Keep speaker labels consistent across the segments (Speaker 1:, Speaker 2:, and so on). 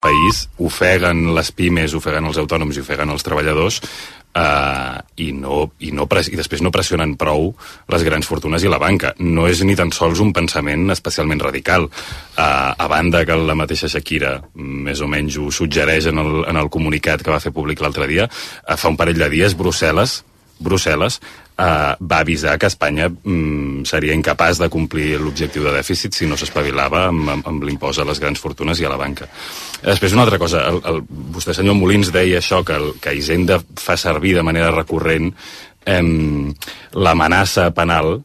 Speaker 1: país, ofeguen les pimes, ofeguen els autònoms i ofeguen els treballadors, i després no pressionen prou les grans fortunes i la banca. No és ni tan sols un pensament especialment radical. A banda que la mateixa Shakira més o menys ho suggereix en el comunicat que va fer públic l'altre dia, fa un parell de dies Brussel·les va avisar que Espanya seria incapaç de complir l'objectiu de dèficit si no s'espavilava amb l'impost a les grans fortunes i a la banca. Després, una altra cosa, vostè, senyor Molins, deia això, que Hisenda fa servir de manera recurrent l'amenaça penal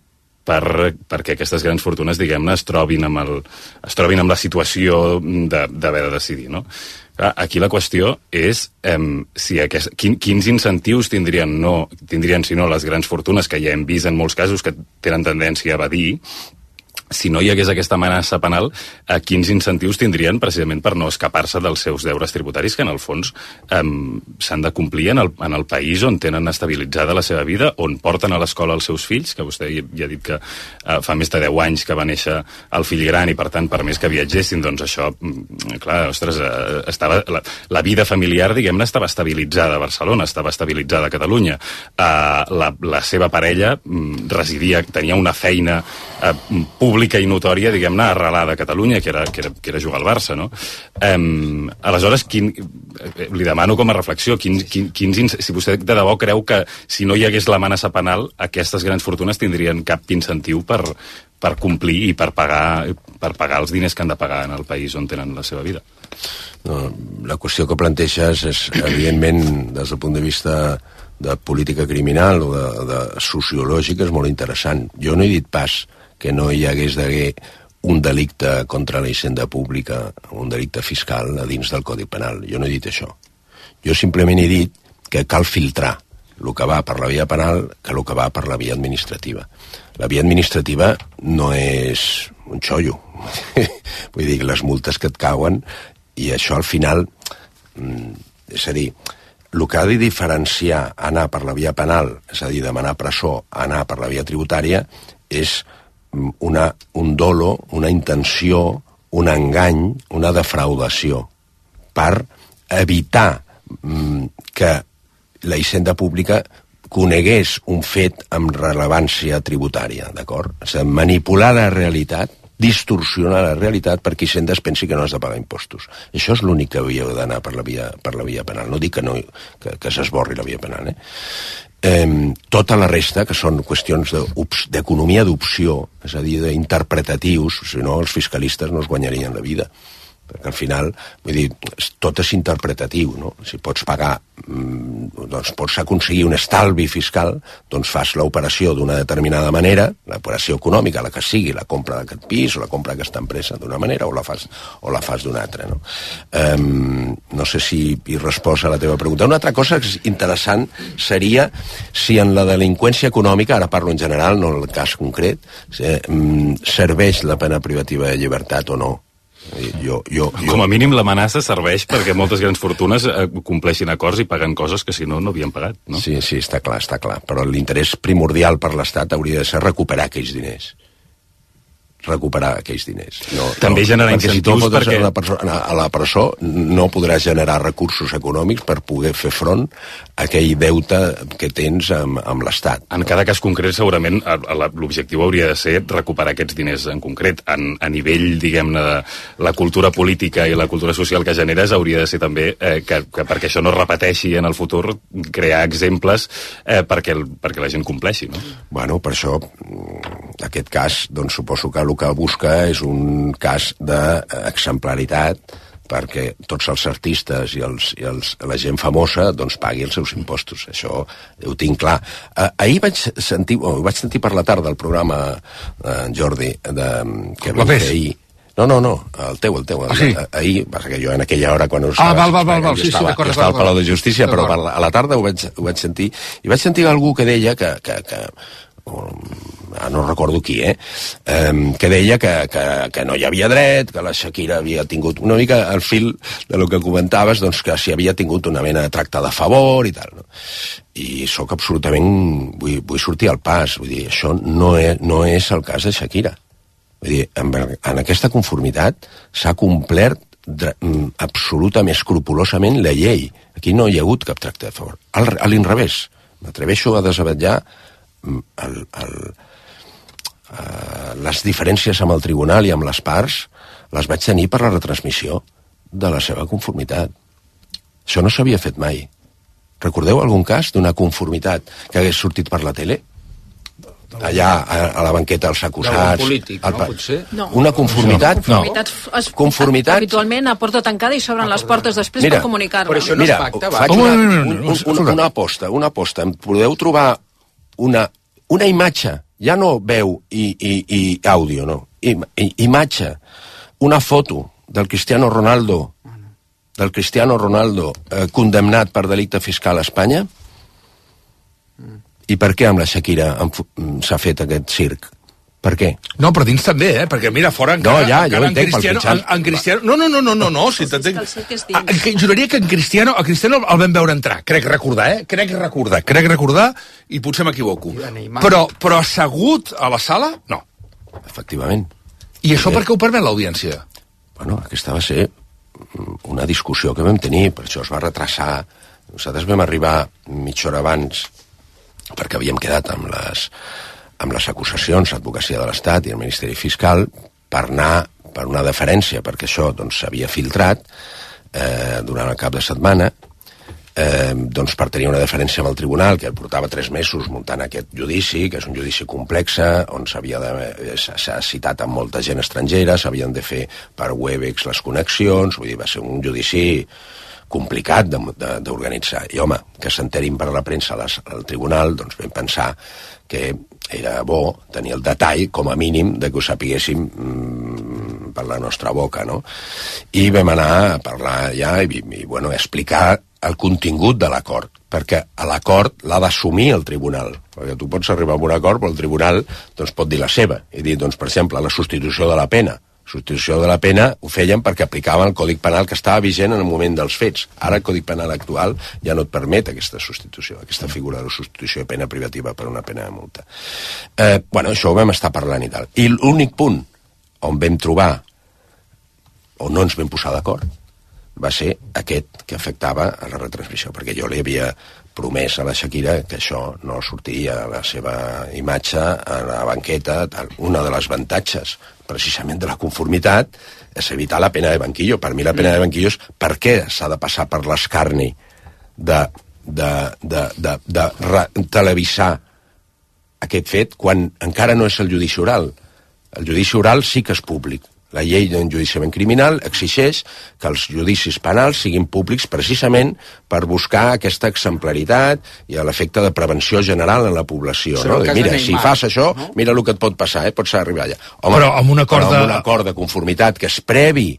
Speaker 1: perquè aquestes grans fortunes, diguem-ne, es trobin amb la situació d'haver de decidir, no? Aquí la qüestió és quins incentius tindrien, si no, les grans fortunes, que ja hem vist en molts casos que tenen tendència a evadir. Si no hi hagués aquesta amenaça penal, quins incentius tindrien precisament per no escapar-se dels seus deures tributaris, que en el fons s'han de complir en el país on tenen estabilitzada la seva vida, on porten a l'escola els seus fills, que vostè ja ha dit que fa més de 10 anys que va néixer el fill gran i per tant per més que viatgessin, doncs això, clar, ostres, la vida familiar, diguem-ne, estava estabilitzada a Barcelona, estava estabilitzada a Catalunya, la seva parella tenia una feina pública i notòria, diguem-ne, arrelada a Catalunya, que era jugar al Barça, no? Aleshores, li demano com a reflexió, si vostè de debò creu que si no hi hagués l'amenaça penal, aquestes grans fortunes tindrien cap incentiu per complir i per pagar els diners que han de pagar en el país on tenen la seva vida.
Speaker 2: No, la qüestió que planteges és, evidentment, des del punt de vista de política criminal o de sociològica, és molt interessant. Jo no he dit pas que no hi hagués d'haver un delicte contra la hisenda pública, un delicte fiscal a dins del Codi Penal. Jo no he dit això. Jo simplement he dit que cal filtrar el que va per la via penal que el que va per la via administrativa. La via administrativa no és un xollo. Vull dir, les multes que et cauen, i això al final, és a dir, el que ha de diferenciar anar per la via penal, és a dir, demanar presó, anar per la via tributària, és un dolo, una intenció, un engany, una defraudació, per evitar que la hisenda pública conegués un fet amb rellevància tributària, d'acord? És a dir, manipular la realitat, distorsionar la realitat perquè Hisenda es pensi que no has de pagar impostos. Això és l'únic que hauria d'anar per la via penal. No dic que s'esborri la via penal, tota la resta, que són qüestions d'economia d'opció, és a dir, d'interpretatius, si no els fiscalistes no es guanyarien la vida, perquè al final, vull dir, tot és interpretatiu, no? Si pots pagar, doncs pots aconseguir un estalvi fiscal, doncs fas l'operació d'una determinada manera, l'operació econòmica, la que sigui, la compra d'aquest pis o la compra d'aquesta empresa d'una manera o la fas d'una altra, no? No sé si hi resposta a la teva pregunta. Una altra cosa interessant seria si en la delinqüència econòmica, ara parlo en general, no en el cas concret, serveix la pena privativa de llibertat o no.
Speaker 1: Com a mínim l'amenaça serveix perquè moltes grans fortunes compleixin acords i paguen coses que si no havien pagat, no?
Speaker 2: Sí, està clar, però l'interès primordial per l'Estat hauria de ser recuperar aquells diners.
Speaker 1: També generar incentius perquè
Speaker 2: a la presó no podràs generar recursos econòmics per poder fer front a aquell deute que tens amb l'Estat.
Speaker 1: En cada cas concret, segurament, l'objectiu hauria de ser recuperar aquests diners en concret. A nivell, diguem-ne, de la cultura política i la cultura social que generes, hauria de ser també que perquè això no es repeteixi en el futur, crear exemples perquè la gent compleixi, no?
Speaker 2: Bueno, per això, en aquest cas, doncs suposo que el que busca és un cas d'exemplaritat perquè tots els artistes i la gent famosa doncs pagui els seus impostos. Això ho tinc clar. Ahir vaig sentir per la tarda el programa, Jordi, que vam fer ahir. No, el teu.
Speaker 3: Sí.
Speaker 2: Ahir, perquè jo en aquella hora quan
Speaker 3: val, sí,
Speaker 2: estava al Palau de Justícia, però a la tarda ho vaig sentir, i vaig sentir algú que deia que no recordo qui, que deia que no hi havia dret, que la Shakira havia tingut una mica el fil de lo que comentaves, doncs que si havia tingut una mena de tracte de favor i tal, no? I sóc absolutament, vull sortir al pas, vull dir, això no és el cas de Shakira. Vull dir, en aquesta conformitat s'ha complert absolutament, escrupolosament la llei. Aquí no hi ha hagut cap tracte de favor. A l'inrevés. M'atreveixo a desavetllar les diferències amb el tribunal i amb les parts les vaig tenir per la retransmissió de la seva conformitat. Això no s'havia fet mai. Recordeu algun cas d'una conformitat que hagués sortit per la tele? Allà, a la banqueta dels acusats...
Speaker 3: polític, no? Potser?
Speaker 4: No.
Speaker 2: Una conformitat?
Speaker 4: No.
Speaker 2: Conformitat...
Speaker 4: Habitualment a porta tancada i s'obren les portes després per comunicar-la.
Speaker 3: Però això no es pacta, va.
Speaker 2: Faig una aposta. Em podeu trobar una imatge, ja no veu i àudio, no? Imatge, una foto del Cristiano Ronaldo condemnat per delicte fiscal a Espanya? I per què amb la Shakira s'ha fet aquest circ? Per què?
Speaker 5: No, però dins també, perquè mira, fora encara...
Speaker 2: No, ja, jo entenc pel Cristiano...
Speaker 5: En Cristiano... No, si t'entenc... Juraria que a Cristiano el vam veure entrar, crec recordar, i potser m'equivoco. Però assegut a la sala, no.
Speaker 2: Efectivament.
Speaker 5: I això per què ho permet l'audiència?
Speaker 2: Bueno, aquesta va ser una discussió que vam tenir, per això es va retrasar. Nosaltres vam arribar mitja hora abans perquè havíem quedat amb les acusacions, l'advocacia de l'Estat i el Ministeri Fiscal, per anar per una deferència, perquè això s'havia filtrat durant el cap de setmana, per tenir una deferència amb el tribunal, que portava 3 mesos muntant aquest judici, que és un judici complex, on s'ha citat amb molta gent estrangera, s'havien de fer per Webex les connexions, vull dir, va ser un judici complicat d'organitzar. I, home, que s'enterin per la premsa al tribunal, doncs vam pensar que era bo tenir el detall, com a mínim, de que ho sapiguéssim per la nostra boca, no? I vam anar a parlar ja i explicar el contingut de l'acord, perquè l'acord l'ha d'assumir el tribunal, perquè tu pots arribar a un acord, però el tribunal pot dir la seva, i dir, per exemple, la substitució de la pena. Substitució de la pena ho feien perquè aplicaven el Codi Penal que estava vigent en el moment dels fets. Ara el Codi Penal actual ja no et permet aquesta substitució, aquesta figura de substitució de pena privativa per una pena de multa. Això ho vam estar parlant i tal. I l'únic punt on vam trobar, on no ens vam posar d'acord, va ser aquest que afectava a la retransmissió, perquè jo li havia promès a la Shakira que això no sortiria a la seva imatge a la banqueta. Una de les avantatges precisament de la conformitat és evitar la pena de banquillo. Per mi la pena de banquillo és per què s'ha de passar per l'escarni de televisar aquest fet quan encara no és el judici oral. El judici oral sí que és públic. La llei d'enjudiciament criminal exigeix que els judicis penals siguin públics precisament per buscar aquesta exemplaritat i l'efecte de prevenció general en la població. No? Mira, si fas això, mira el que et pot passar, pots arribar allà. Home, però amb un acord de conformitat que es previ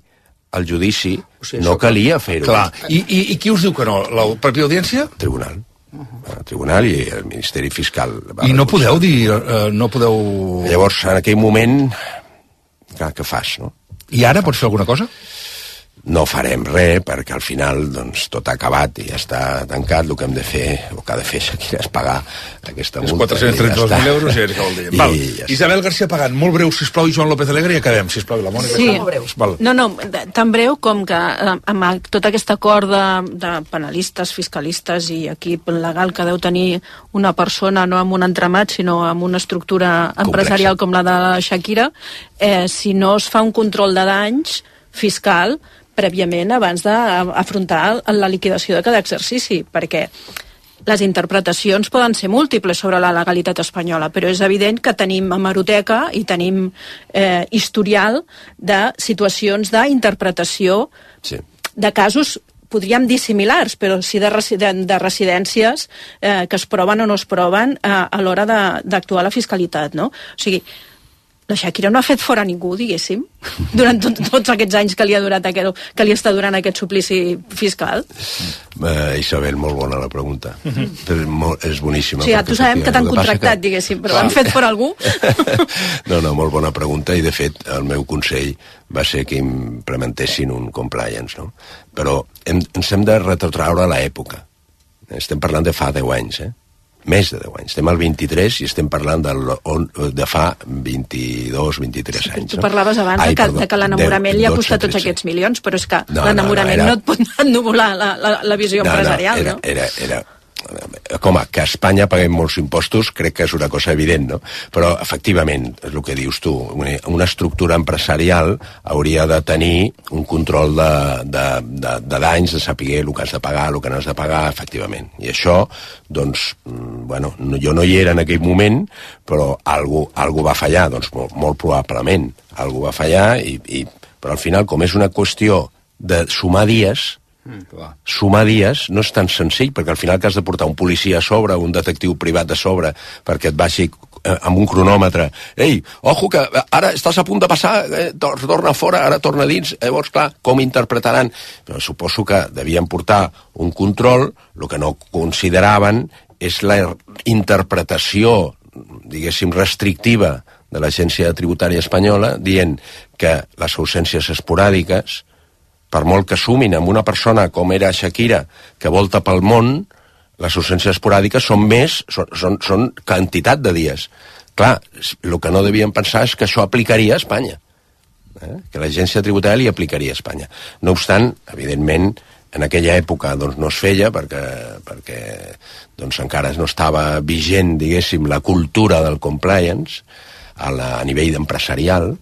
Speaker 2: al judici, no calia fer-ho.
Speaker 5: Clar, i qui us diu que no? La pròpia audiència?
Speaker 2: El tribunal. El tribunal i el Ministeri Fiscal.
Speaker 5: I no podeu dir...
Speaker 2: Llavors, en aquell moment... Què fas, no?
Speaker 5: I ara pots fer alguna cosa?
Speaker 2: No farem res, perquè al final tot ha acabat i ja està tancat. El que hem de fer, o que ha de fer Shakira, és pagar aquesta multa.
Speaker 5: 432.000 euros i ja vol dir. Val. Isabel García Pagán, molt breu, sisplau, i Joan López Alegre, i acabem, sisplau, i la Mònica.
Speaker 4: Sí, no, tan breu com que amb tot aquest acord de penalistes, fiscalistes i equip legal que deu tenir una persona, no amb un entramat, sinó amb una estructura empresarial com la de la Shakira, si no es fa un control de danys fiscal prèviament abans d'afrontar la liquidació de cada exercici, perquè les interpretacions poden ser múltiples sobre la legalitat espanyola, però és evident que tenim hemeroteca i tenim historial de situacions d'interpretació de casos, podríem dir similars, però sí de residències que es proven o no es proven a l'hora d'actuar la fiscalitat, no? O sigui, la Shakira no ha fet fora ningú, diguéssim, durant tots aquests anys que li està durant aquest suplici fiscal.
Speaker 2: Isabel, molt bona la pregunta. És boníssima.
Speaker 4: O sigui, tu sabem que t'han contractat, diguéssim, però han fet fora algú?
Speaker 2: No, molt bona pregunta, i de fet el meu consell va ser que implementessin un compliance, no? Però ens hem de retrotraure a l'època. Estem parlant de fa 10 anys, més de 10 anys. Estem al 23 i estem parlant de fa 22-23 anys.
Speaker 4: Tu parlaves abans de que l'enamorament li ha costat tots aquests milions, però és que l'enamorament no et pot ennuvolar la visió empresarial, no?
Speaker 2: Era com que a Espanya paguem molts impostos, crec que és una cosa evident, no? Però, efectivament, és el que dius tu, una estructura empresarial hauria de tenir un control de danys, de saber el que has de pagar, el que no has de pagar, efectivament. I això, doncs, bueno, jo no hi era en aquell moment, però algú va fallar, doncs molt probablement. Algú va fallar, però al final, com és una qüestió de sumar dies, sumar dies no és tan senzill, perquè al final que has de portar un policia a sobre, un detectiu privat a sobre, perquè et baixi amb un cronòmetre, ei, ojo que ara estàs a punt de passar, torna fora, ara torna dins, llavors clar, com interpretaran? Però suposo que devien portar un control, el que no consideraven és la interpretació, diguéssim, restrictiva de l'Agència Tributària Espanyola, dient que les ausències esporàdiques, per molt que sumin amb una persona com era Shakira, que volta pel món, les ausències esporàdiques són quantitat de dies. Clar, el que no devien pensar és que això aplicaria a Espanya, que l'agència tributària li aplicaria a Espanya. No obstant, evidentment, en aquella època doncs, no es feia perquè doncs, encara no estava vigent, diguéssim, la cultura del compliance a nivell empresarial,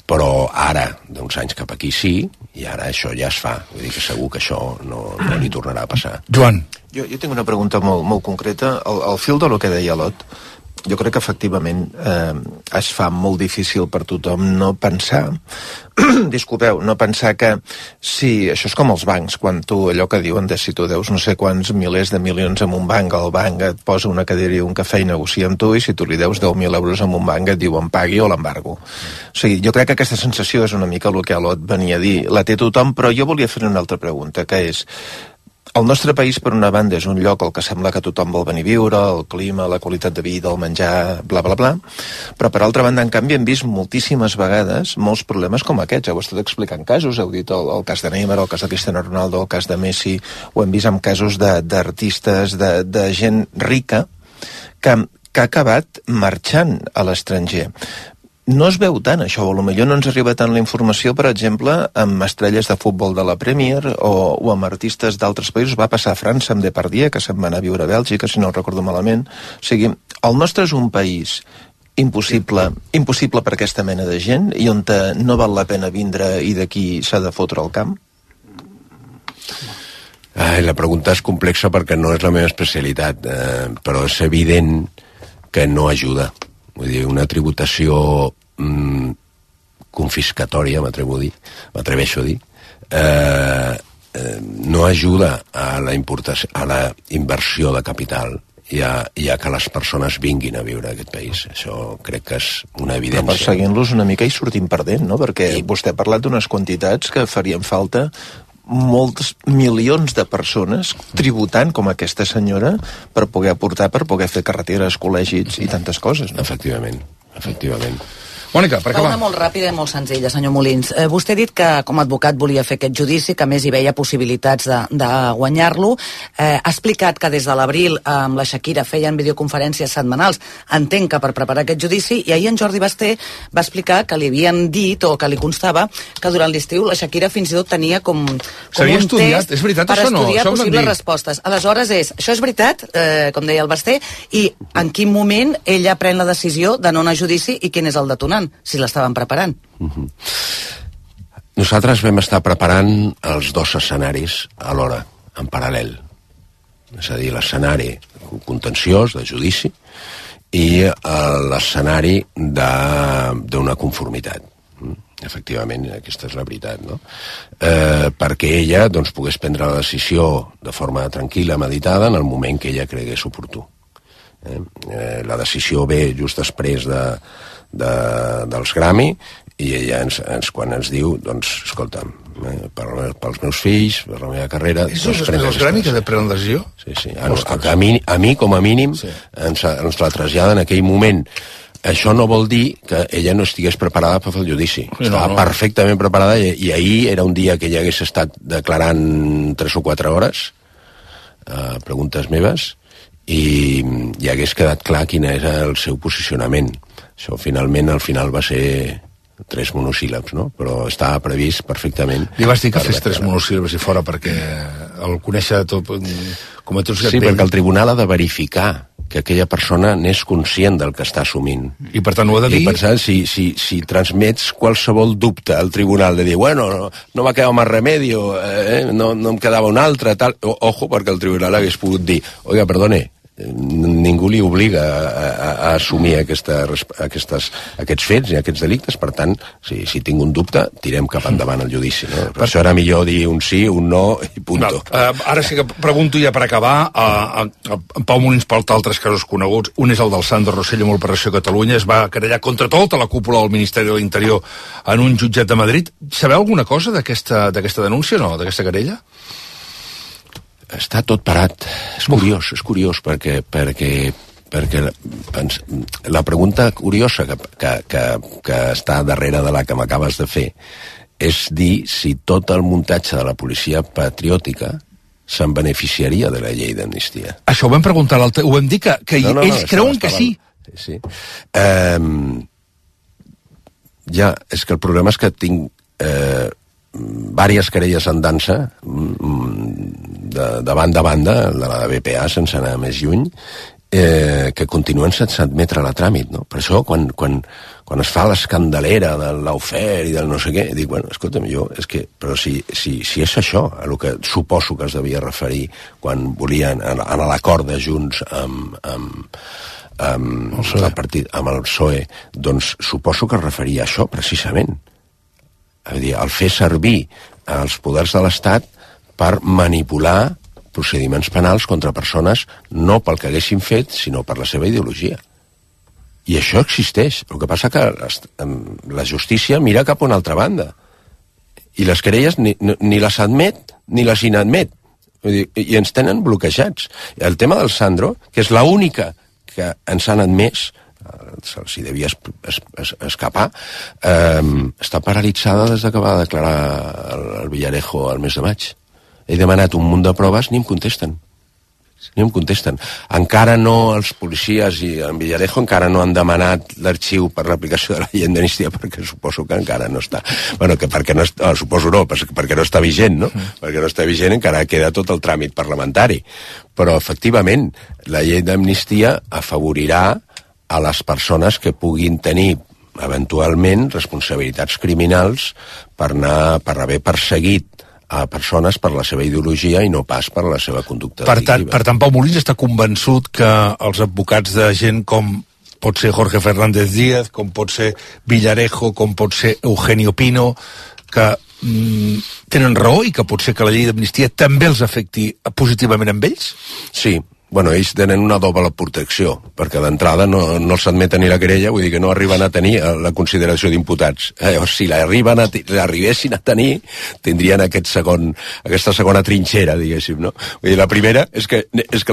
Speaker 2: però ara, d'uns anys cap aquí sí, i ara això ja es fa. Vull dir que segur que això no li tornarà a passar.
Speaker 5: Joan.
Speaker 6: Jo tinc una pregunta molt concreta. Al fil de lo que deia Lot, jo crec que efectivament es fa molt difícil per tothom no pensar no pensar que sí, això és com els bancs, quan tu allò que diuen de si tu deus no sé quants milers de milions en un banc, el banc et posa una cadira i un cafè i negocia amb tu, i si tu li deus 10.000 euros en un banc et diuen pagui o l'embargo. O sigui, jo crec que aquesta sensació és una mica el que Lot venia a dir, la té tothom, però jo volia fer una altra pregunta, que és: el nostre país, per una banda, és un lloc al que sembla que tothom vol venir a viure, el clima, la qualitat de vida, el menjar, bla, bla, bla, però per altra banda, en canvi, hem vist moltíssimes vegades molts problemes com aquests. Heu estat explicant casos, heu dit el cas de Neymar, el cas de Cristiano Ronaldo, el cas de Messi, ho hem vist amb casos d'artistes, de gent rica, que ha acabat marxant a l'estranger. No es veu tant això, o potser no ens arriba tant la informació, per exemple, amb estrelles de futbol de la Premier o amb artistes d'altres països. Va passar a França amb Depardieu, que se'n va anar a viure a Bèlgica, si no el recordo malament. O sigui, el nostre és un país impossible per aquesta mena de gent i on no val la pena vindre i d'aquí s'ha de fotre el camp?
Speaker 2: La pregunta és complexa perquè no és la meva especialitat, però és evident que no ajuda. Vull dir, una tributació confiscatòria, m'atreveixo a dir, no ajuda a la inversió de capital i a que les persones vinguin a viure a aquest país. Això crec que és una evidència.
Speaker 6: Però perseguint-los una mica i sortim perdent, no? Perquè vostè ha parlat d'unes quantitats que farien falta molts milions de persones tributant com aquesta senyora per poder aportar, per poder fer carreteres, col·legis i tantes coses, no?
Speaker 2: Efectivament.
Speaker 5: Mònica, per acabar.
Speaker 7: Una molt ràpida i molt senzilla, senyor Molins. Vostè ha dit que com a advocat volia fer aquest judici, que a més hi veia possibilitats de guanyar-lo. Ha explicat que des de l'abril amb la Shakira feien videoconferències setmanals, entenc que per preparar aquest judici, i ahir en Jordi Basté va explicar que li havien dit, o que li constava, que durant l'estiu la Shakira fins i tot tenia com un test
Speaker 5: és veritat,
Speaker 7: per
Speaker 5: això no?
Speaker 7: estudiar possibles respostes. Aleshores això és veritat, com deia el Basté, i en quin moment ella pren la decisió de no anar a judici i quin és el detonant, si l'estaven preparant?
Speaker 2: Nosaltres vam estar preparant els dos escenaris alhora, en paral·lel. És a dir, l'escenari contenciós, de judici, i l'escenari d'una conformitat. Efectivament, aquesta és la veritat, no? Perquè ella doncs, pogués prendre la decisió de forma tranquil·la, meditada, en el moment que ella cregués oportú. La decisió ve just després dels Grammy, i ella quan ens diu, doncs, escolta'm, pels meus fills, per la meva carrera...
Speaker 5: És els Grammy que prenen la decisió?
Speaker 2: Sí. A mi, com a mínim, ens la traslladen en aquell moment. Això no vol dir que ella no estigués preparada per fer el judici. Estava perfectament preparada, i ahir era un dia que ella hagués estat declarant 3 o 4 hores, preguntes meves, i hagués quedat clar quin era el seu posicionament. Això finalment al final va ser 3 monosíl·labs, no? Però estava previst perfectament.
Speaker 5: Li vas dir que fes 3 monosíl·labs i fora perquè el conèixer tot com a tots.
Speaker 2: Sí, perquè el tribunal ha de verificar que aquella persona n'és conscient del que està assumint.
Speaker 5: I per tant ho ha de dir...
Speaker 2: I per tant, si transmets qualsevol dubte al tribunal de dir, bueno, no va quedar més remedio, no em quedava un altre, tal... Ojo, perquè el tribunal hagués pogut dir, oiga, perdone, ningú li obliga a assumir aquests fets i aquests delictes, per tant, si tinc un dubte, tirem cap endavant el judici, no? Per això era millor dir un sí, un no i punto.
Speaker 5: Ara sí que pregunto ja per acabar, en Pau Molins porta altres casos coneguts, un és el del Sandro Rosselló amb l'Operació Catalunya, es va querellar contra tota la cúpula del Ministeri de l'Interior en un jutjat de Madrid. Sabeu alguna cosa d'aquesta denúncia, no?, d'aquesta querella?
Speaker 2: Està tot parat. És curiós, perquè la pregunta curiosa que està darrere de la que m'acabes de fer és dir si tot el muntatge de la policia patriòtica se'n beneficiaria de la llei d'amnistia.
Speaker 5: Això ho vam preguntar l'altre, ho vam dir que ells creuen que sí.
Speaker 2: Sí. Ja, és que el problema és que tinc vàries querelles en dansa de banda a banda, de la BPA sense anar més lluny, que continuen sense admetre la tràmit, no? Per això quan es fa l'escandalera de l'Aufer i del no sé què, dic, bueno, escolta'm, però si és això a el que suposo que es devia referir quan volien anar a l'acord de Junts amb el PSOE, doncs suposo que es referia a això precisament. És a dir, el fer servir els poders de l'Estat per manipular procediments penals contra persones no pel que haguessin fet, sinó per la seva ideologia. I això existeix. El que passa que la justícia mira cap a una altra banda. I les querelles ni les admet ni les inadmet. I ens tenen bloquejats. El tema del Sandro, que és l'única que ens han admès, se'ls devia escapar, està paralitzada des que va declarar el Villarejo al mes de maig. He demanat un munt de proves, ni em contesten. Encara no, els policies i en Villarejo encara no han demanat l'arxiu per l'aplicació de la llei d'amnistia, perquè suposo que encara no està. Bueno, que perquè no està, suposo no, perquè no està vigent, no? Perquè no està vigent encara queda tot el tràmit parlamentari. Però, efectivament, la llei d'amnistia afavorirà a les persones que puguin tenir eventualment responsabilitats criminals per haver perseguit a persones per la seva ideologia i no pas per la seva conducta delictiva.
Speaker 5: Per tant, Pau Molins està convençut que els advocats de gent com pot ser Jorge Fernández Díaz, com pot ser Villarejo, com pot ser Eugenio Pino, que tenen raó i que pot ser que la llei d'amnistia també els afecti positivament amb ells?
Speaker 2: Sí. Bueno, ells tenen una doble protecció, perquè d'entrada no s'admeten ni la querella, vull dir que no arriben a tenir la consideració d'imputats. Llavors, si l'arribessin a tenir, tindrien aquesta segona trinxera, diguéssim, no? Vull dir, la primera és que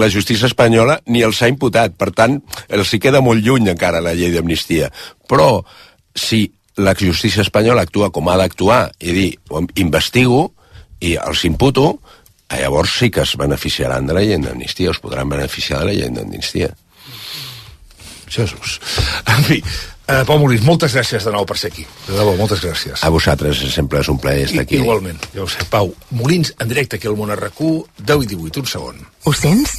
Speaker 2: la justícia espanyola ni els ha imputat, per tant, els hi queda molt lluny encara la llei d'amnistia. Però, si la justícia espanyola actua com ha d'actuar i dir, investigo i els imputo, llavors sí que es beneficiaran de la llei d'amnistia, es podran beneficiar de la llei d'amnistia.
Speaker 5: Jesús. En fi, Pau Molins, moltes gràcies de nou per ser aquí. De debò, moltes gràcies.
Speaker 2: A vosaltres, sempre és un plaer estar aquí.
Speaker 5: Igualment, ja ho sé. Pau Molins, en directe aquí al Món RQ, 10:18, un segon.
Speaker 8: Ho sents?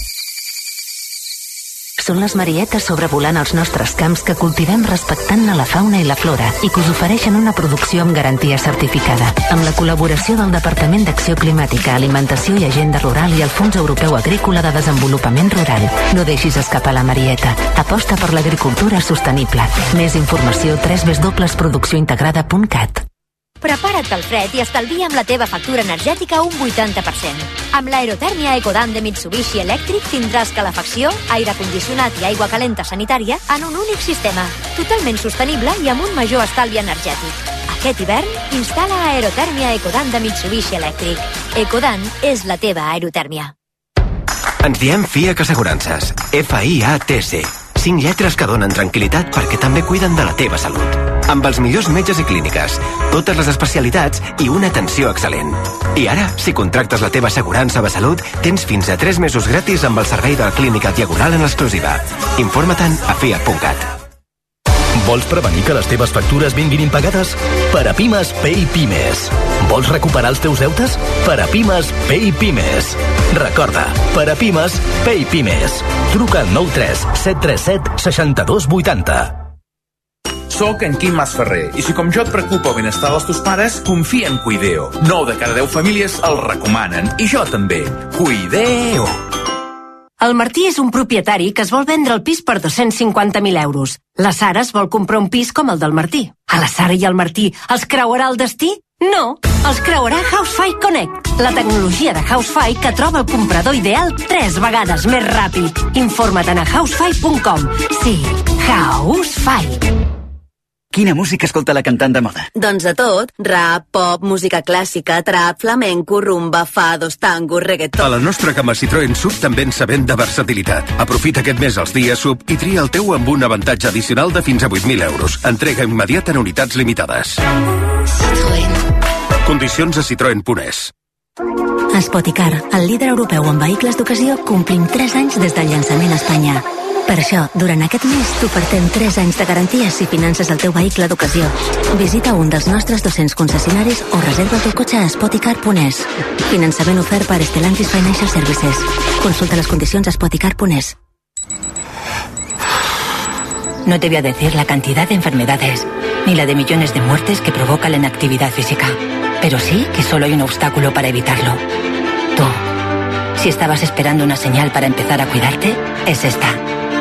Speaker 8: Són les marietes sobrevolant els nostres camps que cultivem respectant la fauna i la flora i que us ofereixen una producció amb garantia certificada. Amb la col·laboració del Departament d'Acció Climàtica, Alimentació i Agenda Rural i el Fons Europeu Agrícola de Desenvolupament Rural. No deixis escapar la marieta. Aposta per l'agricultura sostenible. Més informació www.produccióintegrada.cat.
Speaker 9: Prepara't pel fred i estalvia amb la teva factura energètica un 80%. Amb l'aerotèrmia Ecodan de Mitsubishi Electric tindràs calefacció, aire condicionat i aigua calenta sanitària en un únic sistema, totalment sostenible i amb un major estalvi energètic. Aquest hivern, instal·la aerotèrmia Ecodan de Mitsubishi Electric. Ecodan és la teva aerotèrmia.
Speaker 10: Ens diem FIAC Assegurances. FIATC. 5 lletres que donen tranquil·litat perquè també cuiden de la teva salut. amb els millors metges i clíniques, totes les especialitats i una atenció excel·lent. I ara, si contractes la teva assegurança de salut, tens fins a 3 mesos gratis amb el servei de la Clínica Diagonal en exclusiva. Informa-te'n a fiat.cat.
Speaker 11: Vols prevenir que les teves factures vinguin impagades? Per a Pimes, Pay Pimes. Vols recuperar els teus deutes? Per a Pimes, Pay Pimes. Recorda, per a Pimes, Pay Pimes. Truca al 93 737 62 80.
Speaker 12: Soc en Quim Masferrer i si com jo et preocupa el benestar dels teus pares, confia en Cuideo. 9 de cada 10 famílies el recomanen i jo també. Cuideo.
Speaker 13: El Martí és un propietari que es vol vendre el pis per 250.000 euros. La Sara es vol comprar un pis com el del Martí. A la Sara i al Martí els creuarà el destí? No, els creuarà Housefy Connect, la tecnologia de Housefy que troba el comprador ideal 3 vegades més ràpid. Informa't a housefy.com. Sí, Housefy.
Speaker 14: Quina música escolta la cantant de moda?
Speaker 15: Doncs de tot. Rap, pop, música clàssica, trap, flamenco, rumba, fados, tango, reggaeton...
Speaker 16: A la nostra gamma Citroën SUV també ens sabem de versatilitat. Aprofita aquest mes els dies SUV i tria el teu amb un avantatge addicional de fins a 8.000 euros. Entrega immediata en unitats limitades.
Speaker 8: Citroën.
Speaker 16: Condicions a citroen.es.
Speaker 8: Spoticar, el líder europeu en vehicles d'ocasió, complim 3 anys des del llançament a Espanya. Per això, durant aquest mes t'ofertem 3 anys de garantia si finances el teu vehicle d'ocasió. Visita un dels nostres 200 concessionaris o reserva el teu cotxe a spoticar.es. Finançament ofert per Stellantis Financial Services. Consulta les condicions a spoticar.es.
Speaker 17: No te voy a decir la cantidad de enfermedades, ni la de millones de muertes que provoca la inactividad física, pero sí que solo hay un obstáculo para evitarlo. Tú. Si estabas esperando una señal para empezar a cuidarte, es esta.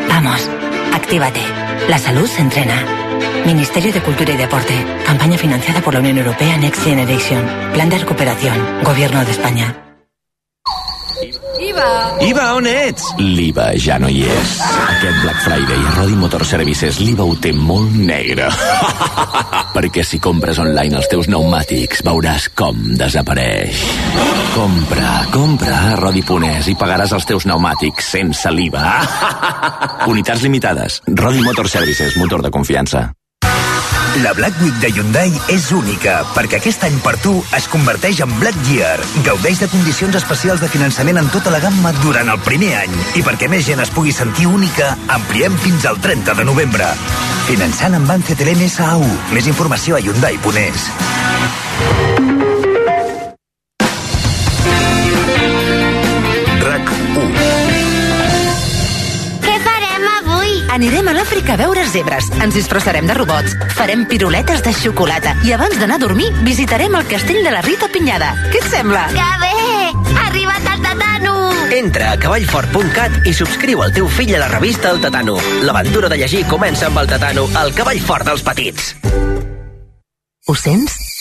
Speaker 17: Vamos, actívate. La salud se entrena. Ministerio de Cultura y Deporte. Campaña financiada por la Unión Europea Next Generation. Plan de recuperación. Gobierno de España.
Speaker 10: IVA, on ets?
Speaker 18: L'IVA ja no hi és. Aquest Black Friday a Rodi Motor Services l'IVA ho té molt negre. Perquè si compres online els teus pneumàtics veuràs com desapareix. Compra a Rodi.es i pagaràs els teus pneumàtics sense l'IVA. Unitats limitades. Rodi Motor Services, motor de confiança.
Speaker 19: La Black Week de Hyundai és única, perquè aquest any per tu es converteix en Black Year. Gaudeix de condicions especials de finançament en tota la gamma durant el primer any. I perquè més gent es pugui sentir única, ampliem fins al 30 de novembre. Finançant amb Banc CTLM SAU. Més informació a Hyundai.es.
Speaker 20: Anirem a l'Àfrica a veure zebres, ens disfressarem de robots, farem piruletes de xocolata i abans d'anar a dormir visitarem el castell de la Rita Pinyada. Què et sembla?
Speaker 9: Que bé! Ha arribat el Tatano!
Speaker 21: Entra a cavallfort.cat i subscriu el teu fill a la revista El Tatano. L'aventura de llegir comença amb el Tatano, el cavall fort dels petits.
Speaker 8: Ho sents?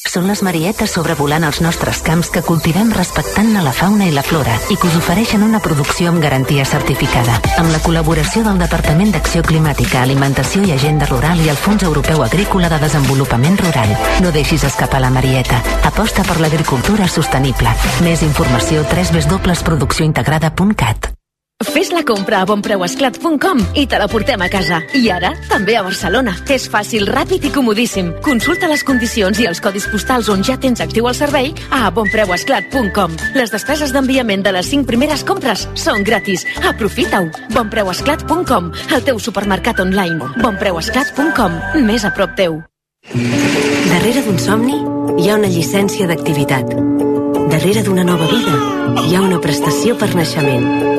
Speaker 8: Són les marietes sobrevolant els nostres camps que cultivem respectant la fauna i la flora i que us ofereixen una producció amb garantia certificada. Amb la col·laboració del Departament d'Acció Climàtica, Alimentació i Agenda Rural i el Fons Europeu Agrícola de Desenvolupament Rural. No deixis escapar la marieta. Aposta per l'agricultura sostenible. Més informació www.produccióintegrada.cat.
Speaker 22: Fes la compra a bonpreuesclat.com i te la portem a casa. I ara, també a Barcelona. És fàcil, ràpid i comodíssim. Consulta les condicions i els codis postals on ja tens actiu el servei a bonpreuesclat.com. Les despeses d'enviament de les 5 primeres compres són gratis. Aprofita-ho. bonpreuesclat.com, el teu supermercat online. bonpreuesclat.com, més a prop teu.
Speaker 23: Darrere d'un somni hi ha una llicència d'activitat. Darrere d'una nova vida hi ha una prestació per naixement.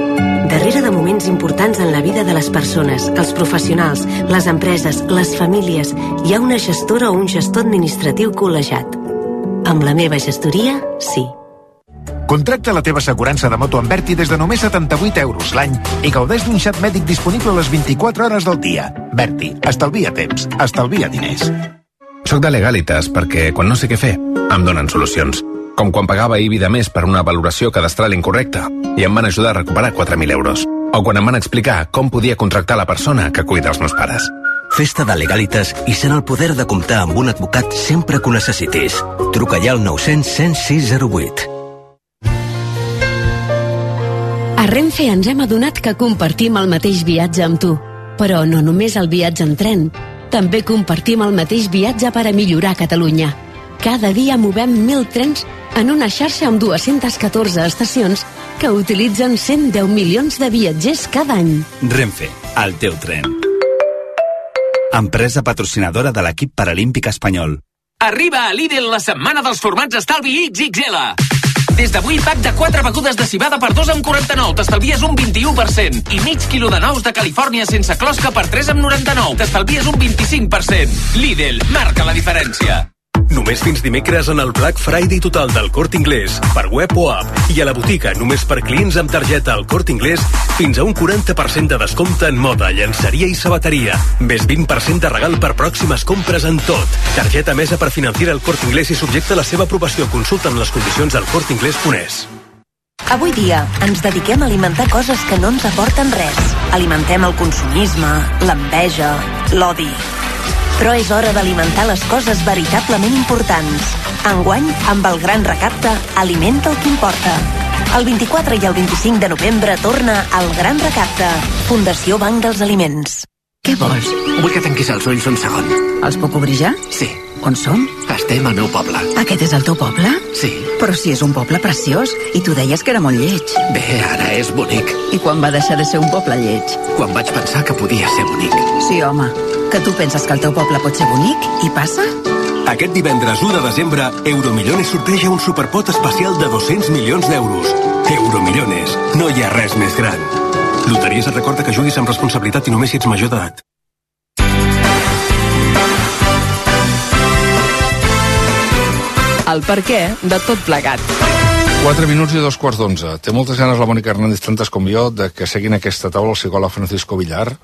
Speaker 23: Darrere de moments importants en la vida de les persones, els professionals, les empreses, les famílies, hi ha una gestora o un gestor administratiu col·legiat. Amb la meva gestoria, sí.
Speaker 24: Contracta la teva assegurança de moto amb Berti des de només 78 euros l'any i gaudeix d'un xat mèdic disponible les 24 hores del dia. Berti, estalvia temps, estalvia diners.
Speaker 25: Soc de Legalitas perquè, quan no sé què fer, em donen solucions. Com quan pagava IBI de més per una valoració cadastral incorrecta i em van ajudar a recuperar 4.000 euros. O quan em van explicar com podia contractar la persona que cuida els meus pares.
Speaker 26: Festa de Legalitas i sent el poder de comptar amb un advocat sempre que ho necessitis. Truca ja al 900 106 08.
Speaker 27: A Renfe ens hem adonat que compartim el mateix viatge amb tu. Però no només el viatge en tren. També compartim el mateix viatge per a millorar Catalunya. Cada dia movem 1.000 trens en una xarxa amb 214 estacions que utilitzen 110 milions de viatgers cada any.
Speaker 1: Renfe, el teu tren. Empresa patrocinadora de l'equip paralímpic espanyol.
Speaker 2: Arriba a Lidl la setmana dels formats estalvi XXL. Des d'avui, pack de 4 begudes de civada per 2,49. T'estalvies un 21%. I mig quilo de nous de Califòrnia sense closca per 3,99. T'estalvies un 25%. Lidl, marca la diferència.
Speaker 3: Només fins dimecres en el Black Friday total del Corte Inglés, per web o app, i a la botiga només per clients amb targeta al Corte Inglés, fins a un 40% de descompte en moda, llenceria i sabateria. Més 20% de regal per pròximes compres en tot. Targeta mesa per financiar el Corte Inglés i subjecta a la seva aprovació. Consulta en les condicions al corteinglés.es.
Speaker 4: Avui dia ens dediquem a alimentar coses que no ens aporten res. Alimentem el consumisme, l'enveja, l'odi. Però és hora d'alimentar les coses veritablement importants. Enguany, amb el gran recapte, alimenta el que importa. El 24 i el 25 de novembre torna el gran recapte. Fundació Banc dels Aliments.
Speaker 5: Què vols? Vull que tanquis els ulls un segon.
Speaker 4: Els puc obrir ja?
Speaker 5: Sí.
Speaker 4: On som?
Speaker 5: Estem al meu poble.
Speaker 4: Aquest és el teu poble?
Speaker 5: Sí.
Speaker 4: Però si és un poble preciós, i tu deies que era molt lleig.
Speaker 5: Bé, ara és bonic.
Speaker 4: I quan va deixar de ser un poble lleig?
Speaker 5: Quan vaig pensar que podia ser bonic.
Speaker 4: Sí, home. Que tu penses que el teu poble pot ser bonic, i passa?
Speaker 3: Aquest divendres 1 de desembre, Euromillones sorteja un superpot especial de 200 milions d'euros. Euromillones. No hi ha res més gran. Loteries et recorda que juguis amb responsabilitat i només si ets major d'edat.
Speaker 6: El per què de tot plegat.
Speaker 7: 4 minuts i 2:15. Té moltes ganes la Mònica Hernández, tantes com jo, de que seguin aquesta taula el psicòleg Francisco Villar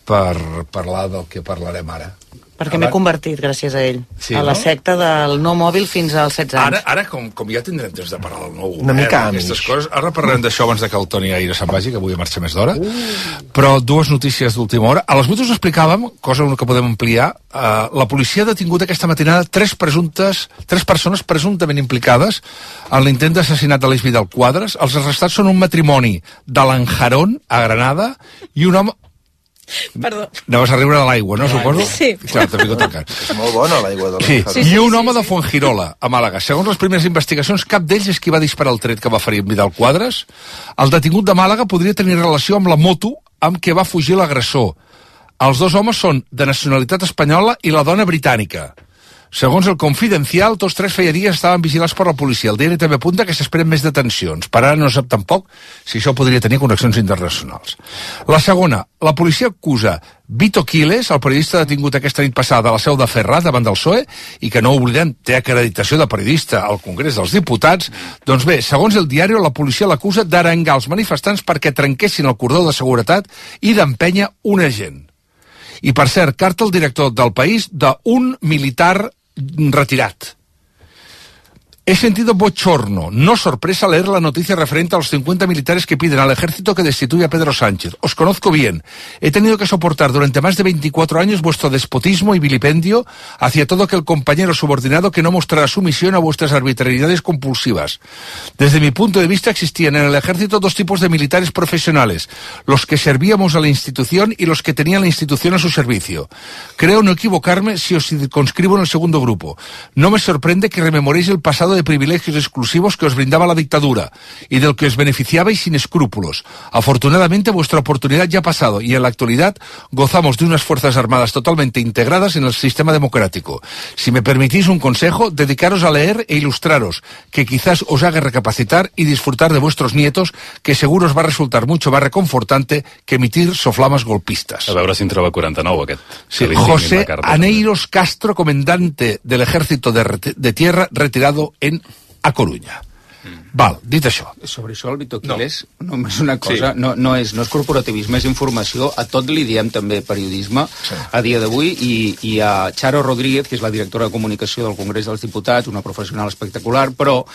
Speaker 7: per parlar del que parlarem ara.
Speaker 28: Perquè m'he convertit, gràcies a ell,
Speaker 7: sí,
Speaker 28: a la secta del no mòbil fins als 16 anys.
Speaker 7: Ara com ja tindrem temps de parlar del nou govern,
Speaker 28: Una mica
Speaker 7: aquestes coses, ara parlarem d'això abans de que el Toni Aire se'n vagi, que avui marxa més d'hora. Però dues notícies d'última hora. A les 8 us explicàvem, cosa que podem ampliar, la policia ha detingut aquesta matinada tres persones presumptament implicades en l'intent d'assassinat de l'Eix Vidal Quadras. Els arrestats són un matrimoni de l'Anjarón, a Granada, i un home...
Speaker 28: Perdó.
Speaker 7: Anaves a riure de l'aigua, no, suposo?
Speaker 28: Sí.
Speaker 7: Clar, t'he ficat el cas.
Speaker 29: És molt bona l'aigua de
Speaker 7: l'Anjarón. I un home de Fuengirola, a Màlaga. Segons les primeres investigacions, cap d'ells és qui va disparar el tret que va ferir Vidal Quadras. El detingut de Màlaga podria tenir relació amb la moto amb què va fugir l'agressor. Els dos homes són de nacionalitat espanyola i la dona britànica. Segons el Confidencial, tots tres feia dies estaven vigilats per la policia. El diari també apunta que s'esperen més detencions. Per ara no sap tampoc si això podria tenir connexions internacionals. La segona, la policia acusa Vito Quiles, el periodista detingut aquesta nit passada a la seu de Ferrat davant del PSOE, i que no oblidem, té acreditació de periodista al Congrés dels Diputats. Doncs bé, segons el diari, la policia l'acusa d'arengar els manifestants perquè trenquessin el cordó de seguretat i d'empènyer un agent. I per cert, carta al director del País d'un militar retirat. He sentido bochorno, no sorpresa, leer la noticia referente a los 50 militares que piden al ejército que destituya a Pedro Sánchez. Os conozco bien. He tenido que soportar durante más de 24 años vuestro despotismo y vilipendio hacia todo aquel compañero subordinado que no mostrará sumisión a vuestras arbitrariedades compulsivas. Desde mi punto de vista existían en el ejército dos tipos de militares profesionales, los que servíamos a la institución y los que tenían la institución a su servicio. Creo no equivocarme si os circunscribo en el segundo grupo. No me sorprende que rememoréis el pasado de privilegios exclusivos que os brindaba la dictadura y del que os beneficiabais sin escrúpulos. Afortunadamente vuestra oportunidad ya ha pasado y en la actualidad gozamos de unas fuerzas armadas totalmente integradas en el sistema democrático. Si me permitís un consejo, dedicaros a leer e ilustraros, que quizás os haga recapacitar y disfrutar de vuestros nietos, que seguro os va a resultar mucho más reconfortante que emitir soflamas golpistas.
Speaker 30: A veure si en troba 49 aquest.
Speaker 7: Sí, José Aneiros Castro, comandante del ejército de tierra retirado en A Corunya. Val, dit això.
Speaker 31: Sobre això el Vito Quiles només una cosa, sí. no és corporativisme, és informació, a tot li diem també periodisme, sí. A dia d'avui, i a Charo Rodríguez, que és la directora de comunicació del Congrés dels Diputats, una professional espectacular, però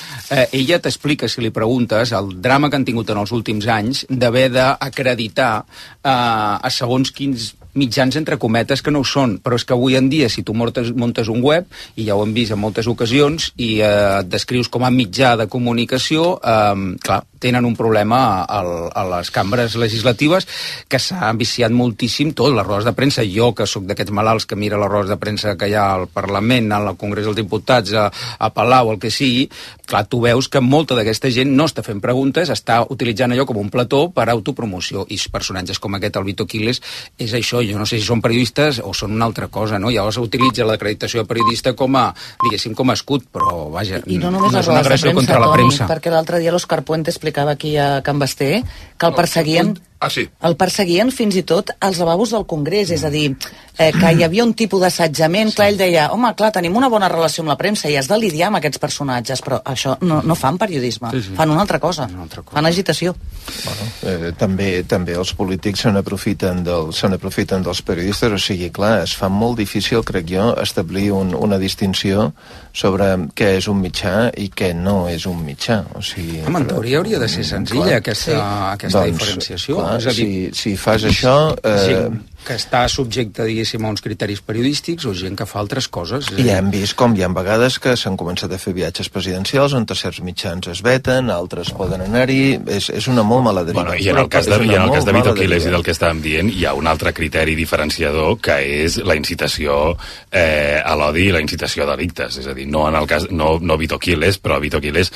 Speaker 31: ella t'explica, si li preguntes, el drama que han tingut en els últims anys d'haver d'acreditar a segons quins mitjans entre cometes que no ho són, però és que avui en dia si tu muntes un web, i ja ho hem vist en moltes ocasions, i et descrius com a mitjà de comunicació, clar, tenen un problema a les cambres legislatives que s'ha viciat moltíssim tot, les rodes de premsa. Jo, que sóc d'aquests malalts que mira les rodes de premsa que hi ha al Parlament, al Congrés dels Diputats, a Palau, el que sigui, clar, tu veus que molta d'aquesta gent no està fent preguntes, està utilitzant allò com un plató per autopromoció, i personatges com aquest, el Vito Quiles, és això. Jo no sé si són periodistes o són una altra cosa, no? Llavors utilitza l'acreditació de periodista com a, diguéssim, com a escut, però vaja,
Speaker 28: I no només
Speaker 31: és una agressió contra la premsa.
Speaker 28: Perquè l'altre dia l'Òscar Puente explicava aquí a Can Basté que el perseguien...
Speaker 7: sí.
Speaker 28: El perseguien fins i tot als lavabos del Congrés, és a dir, que hi havia un tipus d'assetjament, clar, ell deia, home, clar, tenim una bona relació amb la premsa i has de lidiar amb aquests personatges, però això no fan periodisme, fan una altra cosa, fan agitació.
Speaker 10: Bueno, també els polítics se n'aprofiten dels periodistes, o sigui, clar, es fa molt difícil, crec jo, establir una distinció sobre què és un mitjà i què no és un mitjà. O sigui,
Speaker 31: en teoria hauria de ser senzilla aquesta diferenciació.
Speaker 10: Clar, és a dir, si fas això...
Speaker 31: Gent que està subjecte, diguéssim, a uns criteris periodístics o gent que fa altres coses.
Speaker 10: I hem vist com hi ha vegades que s'han començat a fer viatges presidencials on certs mitjans es veten, altres poden anar-hi, és una molt mala deriva.
Speaker 30: Bueno, I en el cas de Vito Quiles i del que estàvem dient, hi ha un altre criteri diferenciador que és la incitació a l'odi i la incitació a delictes. És a dir, no en el cas, no Vito Quiles, però Vito Quiles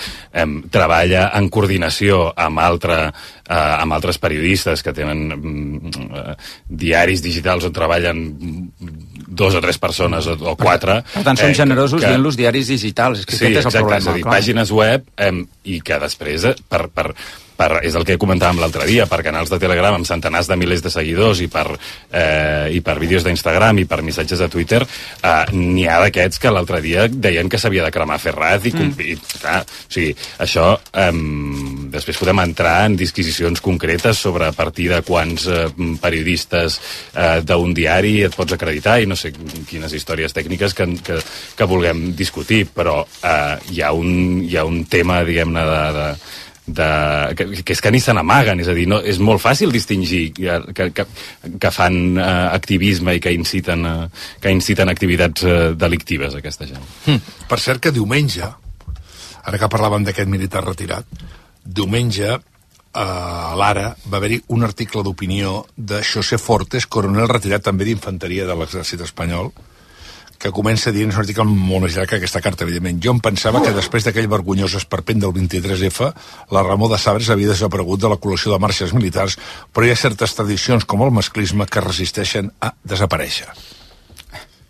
Speaker 30: treballa en coordinació amb altres periodistes que tenen diaris digitals on treballen 2 o 3 persones o 4.
Speaker 31: Per tant, som generosos dient-los diaris digitals. És que aquest és el problema.
Speaker 30: És a dir, pàgines web i que després, és el que comentàvem l'altre dia, per canals de Telegram amb centenars de milers de seguidors i per vídeos d'Instagram i per missatges de Twitter, n'hi ha d'aquests que l'altre dia deien que s'havia de cremar Ferraz i clar, o sigui, això després podem entrar en disquisicions concretes sobre a partir de quants periodistes d'un diari et pots acreditar i no sé quines històries tècniques que vulguem discutir, però hi ha un tema, diguem-ne, que és que ni se n'amaguen, és a dir, és molt fàcil distingir que fan activisme i que inciten activitats delictives, aquesta gent.
Speaker 7: Per cert que diumenge, ara que parlàvem d'aquest militar retirat, diumenge a l'Ara va haver-hi un article d'opinió de José Fortes, coronel retirat també d'infanteria de l'exèrcit espanyol, que comença dient, és un article molt més llarg que aquesta carta, evidentment. Jo em pensava que després d'aquell vergonyós esperpent del 23F, la Ramó de Sabres havia desaparegut de la col·lecció de marxes militars, però hi ha certes tradicions, com el masclisme, que resisteixen a desaparèixer.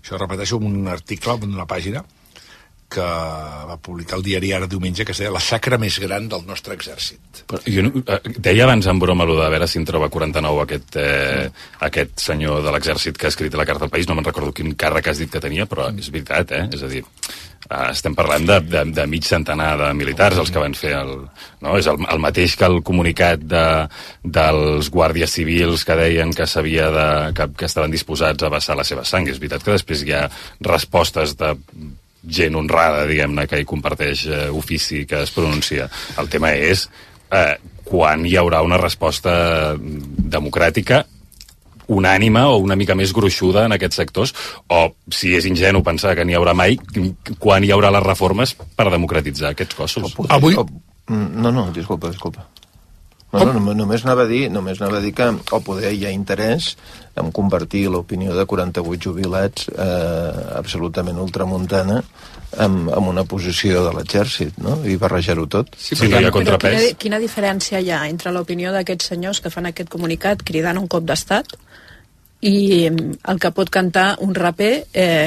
Speaker 7: Això repeteixo un article d'una pàgina que va publicar el diari Ara diumenge, que es deia La xacra més gran del nostre exèrcit.
Speaker 30: Deia abans en broma allò de veure si en troba 49 aquest senyor de l'exèrcit que ha escrit la carta al país, no me'n recordo quin càrrec has dit que tenia, però és veritat, és a dir, estem parlant de mig centenar de militars els que van fer és el mateix que el comunicat dels guàrdies civils que deien que que estaven disposats a vessar la seva sang. És veritat que després hi ha respostes de gent honrada, diguem-ne, que hi comparteix ofici, que es pronuncia. El tema és quan hi haurà una resposta democràtica unànime o una mica més gruixuda en aquests sectors, o si és ingenu pensar que n'hi haurà mai, quan hi haurà les reformes per democratitzar aquests cossos.
Speaker 10: Avui... No, disculpa. Només anava a dir que o poder hi ha interès en convertir l'opinió de 48 jubilats absolutament ultramuntana en una posició de l'exèrcit, no? I barrejar-ho tot.
Speaker 30: Sí, no hi ha contrapès.
Speaker 11: Quina diferència hi ha entre l'opinió d'aquests senyors que fan aquest comunicat cridant un cop d'estat i el que pot cantar un raper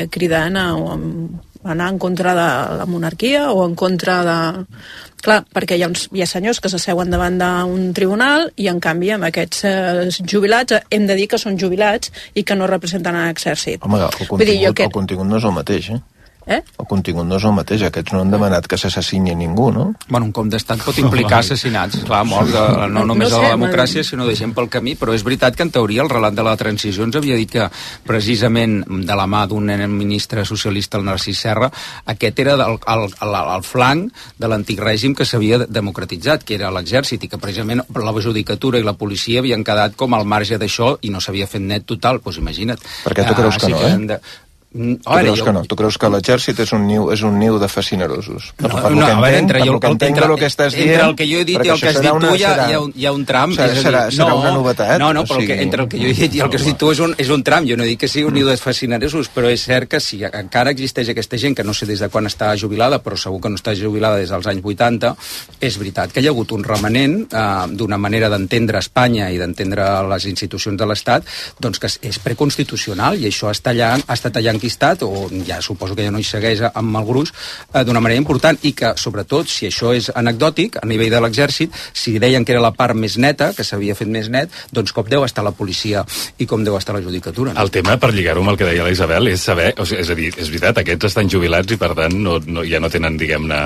Speaker 11: cridant a anar en contra de la monarquia o en contra de... Clar, perquè hi ha senyors que s'asseuen davant d'un tribunal i, en canvi, amb aquests jubilats hem de dir que són jubilats i que no representen l'exèrcit.
Speaker 10: Home, el contingut no és el mateix, El contingut no és el mateix. Aquests no han demanat que s'assassini ningú, no?
Speaker 31: Bueno, un cop d'estat pot implicar assassinats, clar, mort no només de la democràcia, sinó de gent pel camí, però és veritat que en teoria el relat de la transició ens havia dit que precisament de la mà d'un ministre socialista, el Narcís Serra, aquest era el flanc de l'antic règim que s'havia democratitzat, que era l'exèrcit, i que precisament la judicatura i la policia havien quedat com al marge d'això i no s'havia fet net total, doncs imagina't.
Speaker 10: Per què tu creus que no, Tu creus que l'exèrcit és un niu de fascinerosos?
Speaker 31: Per lo que entenc del que estàs dient... Entre el que jo he dit i el que has dit tu hi ha un tram.
Speaker 10: Serà una novetat?
Speaker 31: No, però entre el que jo he dit i el que has dit tu és un tram. Jo no dic que sigui un niu de fascinerosos, però és cert que si encara existeix aquesta gent, que no sé des de quan està jubilada, però segur que no està jubilada des dels anys 80, és veritat que hi ha hagut un remanent d'una manera d'entendre Espanya i d'entendre les institucions de l'Estat, doncs que és preconstitucional, i això està tallant enquistat, o ja suposo que ja no hi segueix amb el gruix, d'una manera important, i que, sobretot, si això és anecdòtic, a nivell de l'exèrcit, si deien que era la part més neta, que s'havia fet més net, doncs com deu estar la policia i com deu estar la judicatura.
Speaker 30: El tema, per lligar-ho amb el que deia la Isabel, és saber, és a dir, és veritat, aquests estan jubilats i, per tant, ja no tenen, diguem-ne,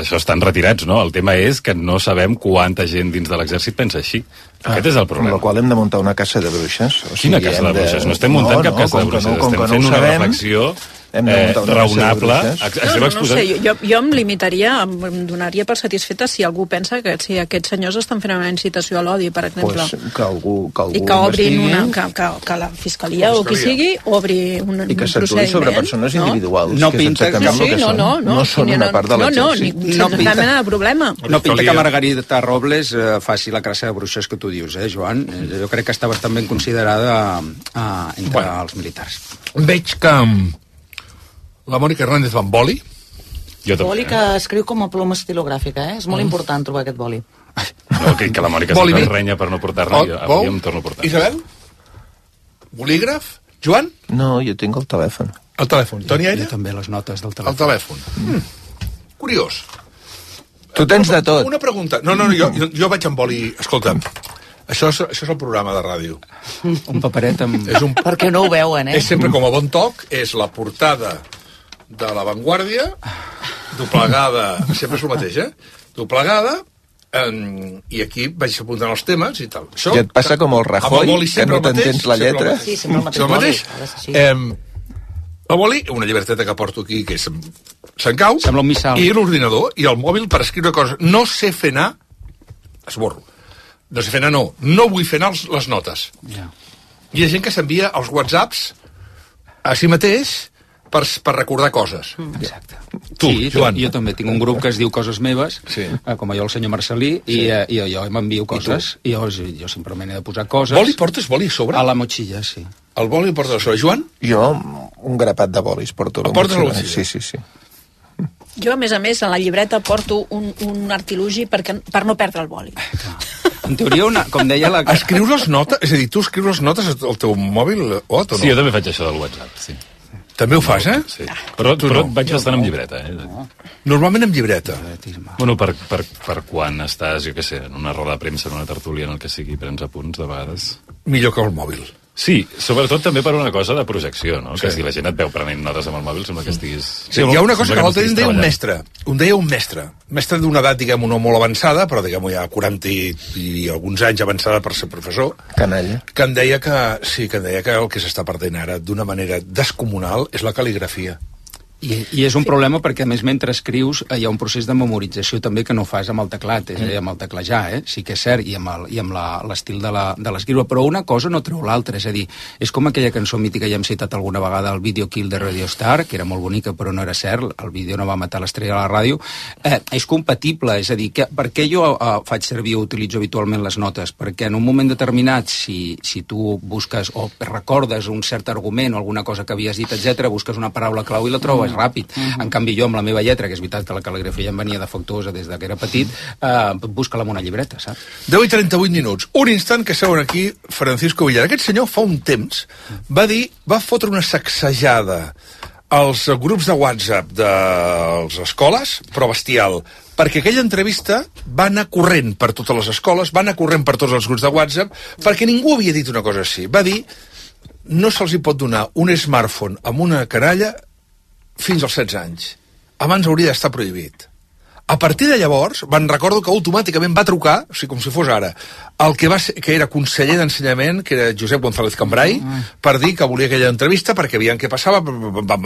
Speaker 30: això estan retirats, no? El tema és que no sabem quanta gent dins de l'exèrcit pensa així. Aquest és el problema.
Speaker 10: Amb la qual hem de muntar una caça de bruixes.
Speaker 30: Quina caça de bruixes? No estem muntant cap caça de bruixes, estem fent una reflexió raonable.
Speaker 11: No sé, jo em limitaria, em donaria per satisfeta si algú pensa que si aquests senyors estan fent una incitació a l'odi, per exemple.
Speaker 10: Que algú
Speaker 11: i que obrin que la fiscalia o qui sigui obri un procediment.
Speaker 10: I que s'actuï sobre persones individuals.
Speaker 31: No pinta que
Speaker 10: no són una part de l'exèrcit.
Speaker 11: No, cap mena de problema.
Speaker 31: No pinta que Margarita Robles faci la caça de bruixes que tu dius, Joan? Jo crec que està bastant ben considerada entre els militars.
Speaker 7: Veig que la Mònica Hernández va amb boli.
Speaker 28: Boli que escriu com a ploma estilogràfica, És molt important trobar aquest boli.
Speaker 30: No, que la Mònica sempre renya per no portar-ne, avui em torno a portar.
Speaker 7: Isabel? Bolígraf? Joan?
Speaker 10: No, jo tinc el telèfon.
Speaker 7: El telèfon. Toni Aire?
Speaker 31: Jo també les notes del telèfon.
Speaker 7: El telèfon. Curiós.
Speaker 10: Tu tens de tot.
Speaker 7: Una pregunta. No, jo vaig amb boli... Escolta'm, això és el programa de ràdio.
Speaker 31: Un paperet amb...
Speaker 28: Perquè no ho veuen,
Speaker 7: És sempre com a bon toc, és la portada de La Vanguardia, doblegada, sempre és el mateix, doblegada, i aquí vaig apuntant els temes i tal.
Speaker 10: I et passa com el Rajoy, que no t'entens la lletra?
Speaker 28: Sí, sempre el mateix.
Speaker 7: El boli, una llibreteta que porto aquí, que se'n cau,
Speaker 31: sembla un missal,
Speaker 7: i l'ordinador, i el mòbil per escriure coses. No sé fer anar, esborro. No sé fer anar, no vull fer anar les notes. Hi ha gent que s'envia els whatsapps a si mateix per recordar coses.
Speaker 31: Exacte.
Speaker 7: Tu, Joan.
Speaker 31: Jo també tinc un grup que es diu Coses Meves, com jo el senyor Marcelí, i jo m'envio coses, i jo simplement he de posar coses.
Speaker 7: Boli? Portes boli a sobre?
Speaker 31: A la motxilla, sí.
Speaker 7: El boli el portes a sobre. Joan?
Speaker 10: Jo un grapat de bolis porto a la
Speaker 7: motxilla. Portes a la
Speaker 10: motxilla? Sí.
Speaker 11: Jo, a més, en la llibreta porto un artilugi per no perdre el boli.
Speaker 31: En teoria, com deia la...
Speaker 7: Escrius les notes? És a dir, tu escrius les notes al teu mòbil, o no?
Speaker 30: Sí, jo també faig això del WhatsApp, sí.
Speaker 7: També ho fas,
Speaker 30: Sí. Però vaig bastant amb llibreta,
Speaker 7: Normalment amb llibreta.
Speaker 30: Bueno, per quan estàs, jo què sé, en una roda de premsa, en una tertúlia, en el que sigui, prens apunts, de vegades.
Speaker 7: Millor que el mòbil.
Speaker 30: Sí, sobretot també per una cosa de projecció, no? Que si la gent et veu prenent notes amb el mòbil, sembla que estiguis...
Speaker 7: Sí, hi ha una cosa que l'altre dia em deia un mestre d'una edat, diguem-ho, no molt avançada, però diguem-ho ja 40 i alguns anys avançada per ser professor,
Speaker 10: canalla,
Speaker 7: que em deia que el que s'està perdent ara d'una manera descomunal és la cal·ligrafia.
Speaker 31: I és un problema perquè, a més, mentre escrius hi ha un procés de memorització també que no fas amb el teclat, és a dir, amb el teclejar, sí que és cert, i amb l'estil de l'escriure, però una cosa no treu l'altra, és a dir, és com aquella cançó mítica, ja hem citat alguna vegada, el Video Kill de Radio Star, que era molt bonica però no era cert, el vídeo no va matar l'estrella a la ràdio, és compatible, és a dir, per què jo faig servir o utilitzo habitualment les notes? Perquè en un moment determinat, si tu busques o recordes un cert argument o alguna cosa que havies dit, etc, busques una paraula clau i la trobes ràpid. En canvi, jo amb la meva lletra, que és veritat que la cal·ligrafia em venia defectuosa des que era petit, busca-la amb una llibreta, saps?
Speaker 7: 10 i 38 minuts. Un instant que seuen aquí Francisco Villar. Aquest senyor fa un temps va fotre una sacsejada als grups de WhatsApp de les escoles, però bestial, perquè aquella entrevista va anar corrent per totes les escoles, va anar corrent per tots els grups de WhatsApp, perquè ningú havia dit una cosa així. Va dir, no se'ls hi pot donar un smartphone amb una canalla fins als 16 anys. Abans hauria d'estar prohibit. A partir de llavors, recordo que automàticament va trucar, o sigui, com si fos ara, el que era conseller d'Ensenyament, que era Josep González Cambrai, per dir que volia aquella entrevista perquè veien què passava,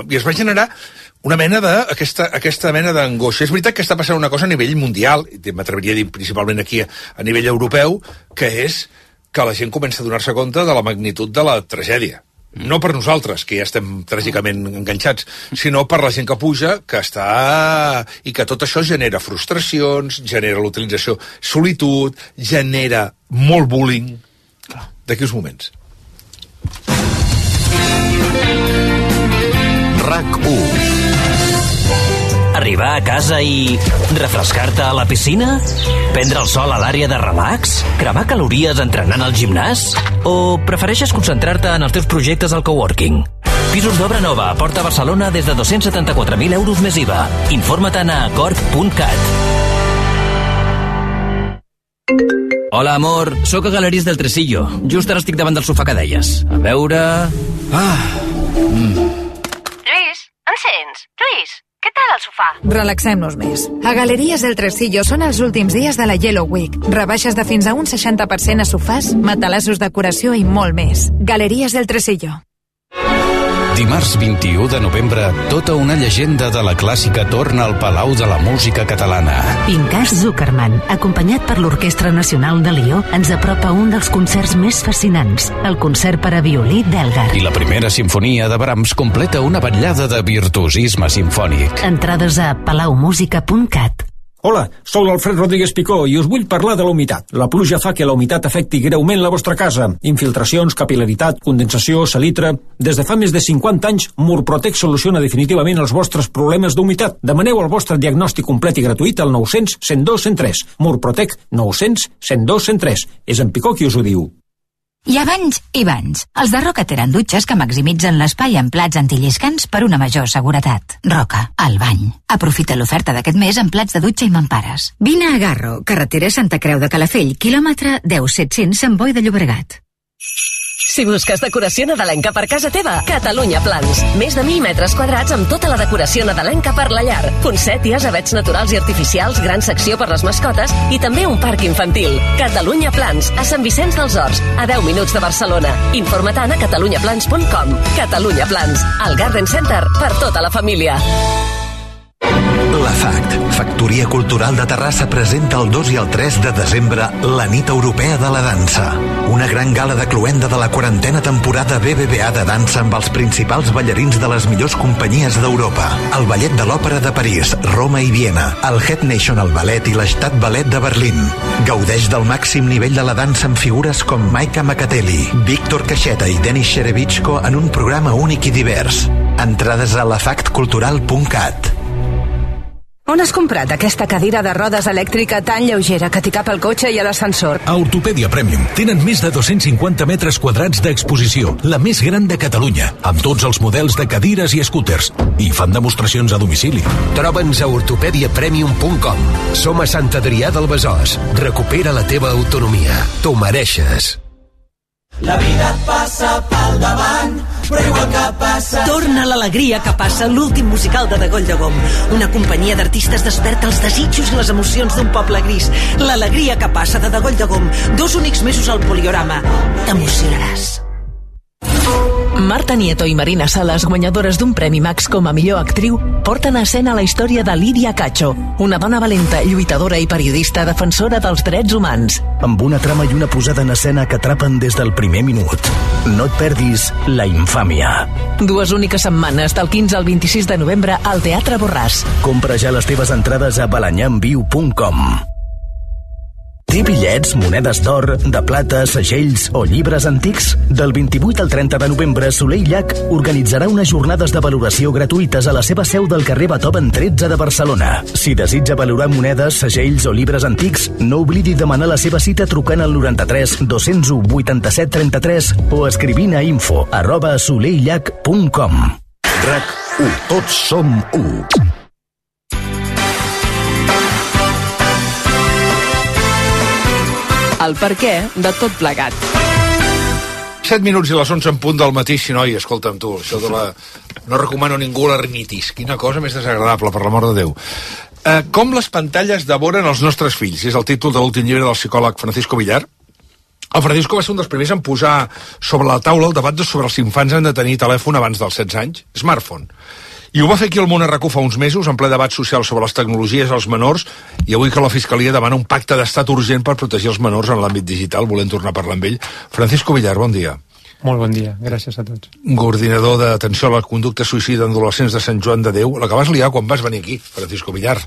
Speaker 7: i es va generar una mena aquesta mena d'angoixa. És veritat que està passant una cosa a nivell mundial, i m'atreviria a dir principalment aquí a nivell europeu, que és que la gent comença a donar-se compte de la magnitud de la tragèdia. No per nosaltres, que ja estem tràgicament enganxats, sinó per la gent que puja, que està... i que tot això genera frustracions, genera l'utilització solitud, genera molt bullying. D'aquí uns moments.
Speaker 9: RAC1. Arribar a casa i refrescar-te a la piscina? Prendre el sol a l'àrea de relax? Cremar calories entrenant al gimnàs? O prefereixes concentrar-te en els teus projectes al coworking? Pisos d'obra nova a Porta Barcelona des de 274.000 euros més IVA. Informa-te'n a corp.cat. Hola, amor. Soc a Galeries del Tresillo. Just ara estic davant del sofà que deies. A veure...
Speaker 12: Lluís, encens. Lluís, què tal el sofà?
Speaker 13: Relaxem-nos més. A Galeries del Tresillo són els últims dies de la Yellow Week. Rebaixes de fins a un 60% a sofàs, matalassos, decoració i molt més. Galeries del Tresillo.
Speaker 14: Dimarts 21 de novembre, tota una llegenda de la clàssica torna al Palau de la Música Catalana.
Speaker 8: Pinkas Zuckerman, acompanyat per l'Orquestra Nacional de Lió, ens apropa un dels concerts més fascinants, el concert per a violí d'Elgar.
Speaker 14: I la primera sinfonia de Brahms completa una vetllada de virtuosisme simfònic.
Speaker 8: Entrades a palaumusica.cat.
Speaker 15: Hola, sóc l'Alfred Rodríguez Picó i us vull parlar de la humitat. La pluja fa que la humitat afecti greument la vostra casa. Infiltracions, capil·laritat, condensació, salitre... Des de fa més de 50 anys, Murprotec soluciona definitivament els vostres problemes d'humitat. Demaneu el vostre diagnòstic complet i gratuït al 900 102 103. Murprotec 900 102 103. És en Picó qui us ho diu.
Speaker 16: Hi ha banys i banys. Els de Roca tenen dutxes que maximitzen l'espai en plats antilliscants per una major seguretat. Roca, el bany. Aprofita l'oferta d'aquest mes en plats de dutxa i mampares. Vine a Garro, carretera Santa Creu de Calafell, quilòmetre 10-700 Sant Boi de Llobregat.
Speaker 22: Si busques decoració nadalenca per casa teva, Catalunya Plans. Més de 1.000 metres quadrats amb tota la decoració nadalenca per la llar. Poncèties, avets naturals i artificials, gran secció per les mascotes i també un parc infantil. Catalunya Plans, a Sant Vicenç dels Horts, a 10 minuts de Barcelona. Informa-te'n a catalunyaplans.com. Catalunya Plans, el Garden Center per tota la família.
Speaker 17: La FACT, Factoria Cultural de Terrassa, presenta el 2 i el 3 de desembre la Nit Europea de la Dansa. Una gran gala de cloenda de la 40a temporada BBVA de dansa amb els principals ballarins de les millors companyies d'Europa. El Ballet de l'Òpera de París, Roma i Viena, el Het National Ballet i l'Estat Ballet de Berlín. Gaudeix del màxim nivell de la dansa amb figures com Maika Makateli, Víctor Caixeta i Denis Sherevichko en un programa únic i divers. Entrades a lafactcultural.cat.
Speaker 13: On has comprat aquesta cadira de rodes elèctrica tan lleugera que t'hi cap al cotxe i a l'ascensor?
Speaker 18: A Ortopèdia Premium tenen més de 250 metres quadrats d'exposició, la més gran de Catalunya, amb tots els models de cadires i scooters, i fan demostracions a domicili.
Speaker 19: Troba'ns a ortopediapremium.com. Som a Sant Adrià del Besòs. Recupera la teva autonomia. T'ho mereixes.
Speaker 20: La vida et passa pel davant, però igual que passa...
Speaker 29: Torna l'alegria que passa l'últim musical de Degoll de Gom. Una companyia d'artistes desperta els desitjos i les emocions d'un poble gris. L'alegria que passa de Degoll de Gom. 2 únics mesos al Poliorama. T'emocionaràs.
Speaker 22: Marta Nieto i Marina Salas, guanyadores d'un Premi Max com a millor actriu, porten a escena la història de Lídia Cacho, una dona valenta, lluitadora i periodista defensora dels drets humans.
Speaker 32: Amb una trama i una posada en escena que atrapen des del primer minut. No et perdis La infàmia.
Speaker 22: 2 úniques setmanes, del 15 al 26 de novembre, al Teatre Borràs.
Speaker 32: Compra ja les teves entrades a balanyamviu.com. Té bitllets, monedes d'or, de plata, segells o llibres antics? Del 28 al 30 de novembre, Soler i Llach organitzarà unes jornades de valoració gratuïtes a la seva seu del carrer Beethoven 13 de Barcelona. Si desitja valorar monedes, segells o llibres antics, no oblidi demanar la seva cita trucant al 93 201 87 33 o escrivint a info@soleillach.com.
Speaker 24: RAC1. Tots som 1.
Speaker 6: El per què de tot plegat.
Speaker 7: 7 minuts i les 11 en punt del matí, si no, i escolta'm tu, això No recomano a ningú la rinitis. Quina cosa més desagradable, per l'amor de Déu. Com les pantalles devoren els nostres fills? És el títol de l'últim llibre del psicòleg Francisco Villar. El Francisco va ser un dels primers en posar sobre la taula el debat sobre els infants han de tenir telèfon abans dels 16 anys, smartphone. I ho va fer aquí al Món RAC1 fa uns mesos, en ple debat social sobre les tecnologies als menors, i avui que la Fiscalia demana un pacte d'estat urgent per protegir els menors en l'àmbit digital. Volem tornar a parlar amb ell. Francisco Villar, bon dia.
Speaker 1: Molt bon dia, gràcies a tots.
Speaker 7: Coordinador d'atenció a la conducta suïcida en adolescents de Sant Joan de Déu. La que vas liar quan vas venir aquí, Francisco Villar.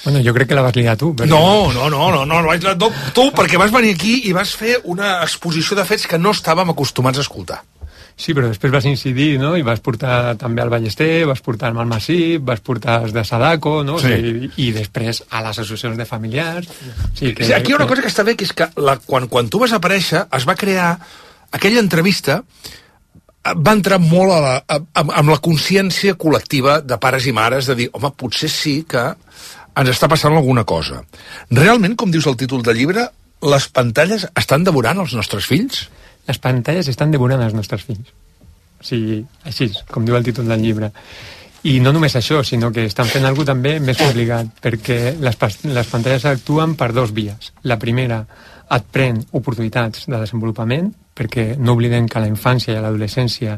Speaker 1: Bueno, jo crec que la vas liar tu.
Speaker 7: Perquè... No vaig liar tu, perquè vas venir aquí i vas fer una exposició de fets que no estàvem acostumats a escoltar.
Speaker 1: Sí, però després vas incidir, no?, i vas portar també al Ballester, vas portar al Malmassip, vas portar els de Sadako, no?, sí. I després a les associacions de familiars.
Speaker 7: Sí, aquí hi ha una cosa que està bé, que és que quan tu vas aparèixer es va crear aquella entrevista, va entrar molt amb la consciència col·lectiva de pares i mares de dir, home, potser sí que ens està passant alguna cosa. Realment, com dius el títol del llibre, les pantalles estan devorant els nostres fills?
Speaker 1: Les pantalles estan devorant els nostres fills. O sigui, així, com diu el títol del llibre. I no només això, sinó que estan fent alguna cosa també més complicat, perquè les pantalles actuen per dos vies. La primera, et pren oportunitats de desenvolupament, perquè no oblidem que a la infància i a l'adolescència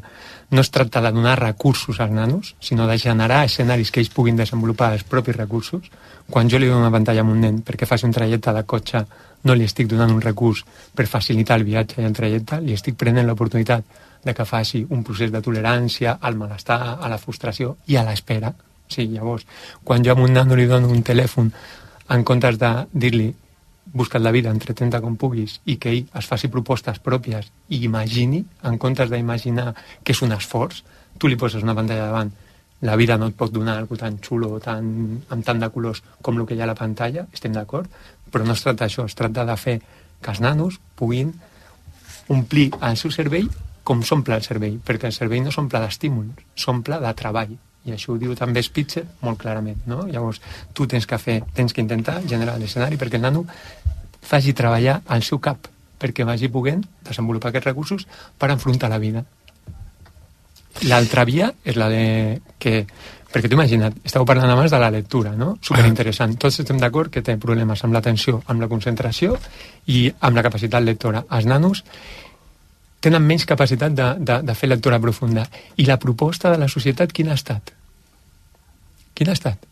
Speaker 1: no es tracta de donar recursos als nanos, sinó de generar escenaris que ells puguin desenvolupar els propis recursos. Quan jo li dono una pantalla a un nen perquè faci un trajecte de cotxe, no li estic donant un recurs per facilitar el viatge i el trajecte, li estic prenent l'oportunitat de que faci un procés de tolerància al malestar, a la frustració i a l'espera. Sí, llavors, quan jo a un nano li dono un telèfon, en comptes de dir-li busca't la vida, entretenta com puguis, i que ell es faci propostes pròpies i imagini, en comptes d'imaginar que és un esforç, tu li poses una pantalla davant. La vida no et pot donar algo tan xulo, amb tant de colors com el que hi ha a la pantalla, estem d'acord, però no es tracta d'això, es tracta de fer que els nanos puguin omplir el seu cervell com s'omple el cervell, perquè el cervell no s'omple d'estímuls, s'omple de treball. I això ho diu també Spitzer molt clarament, no? Llavors, tu tens que intentar generar l'escenari perquè el nano faci treballar el seu cap, perquè vagi podent desenvolupar aquests recursos per enfrontar la vida. L'altra via és la de que... Perquè t'ho imagina't, estàveu parlant abans de la lectura, no? Superinteressant. Tots estem d'acord que té problemes amb l'atenció, amb la concentració i amb la capacitat lectora. Els nanos tenen menys capacitat de fer lectura profunda. I la proposta de la societat quina ha estat? Quina ha estat?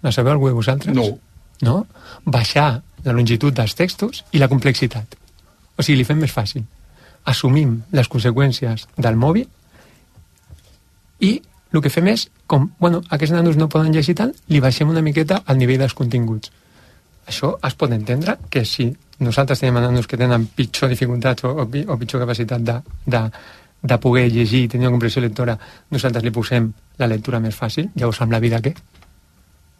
Speaker 1: La sabeu algú de vosaltres? No? Baixar la longitud dels textos i la complexitat. O sigui, li fem més fàcil. Assumim les conseqüències del mòbil i el que fem és, com, aquests nanos no poden llegir tant, li baixem una miqueta al nivell dels continguts. Això es pot entendre que si nosaltres tenim nanos que tenen pitjor dificultats o pitjor capacitat de poder llegir i tenir una comprensió lectora, nosaltres li posem la lectura més fàcil. Llavors, amb la vida què?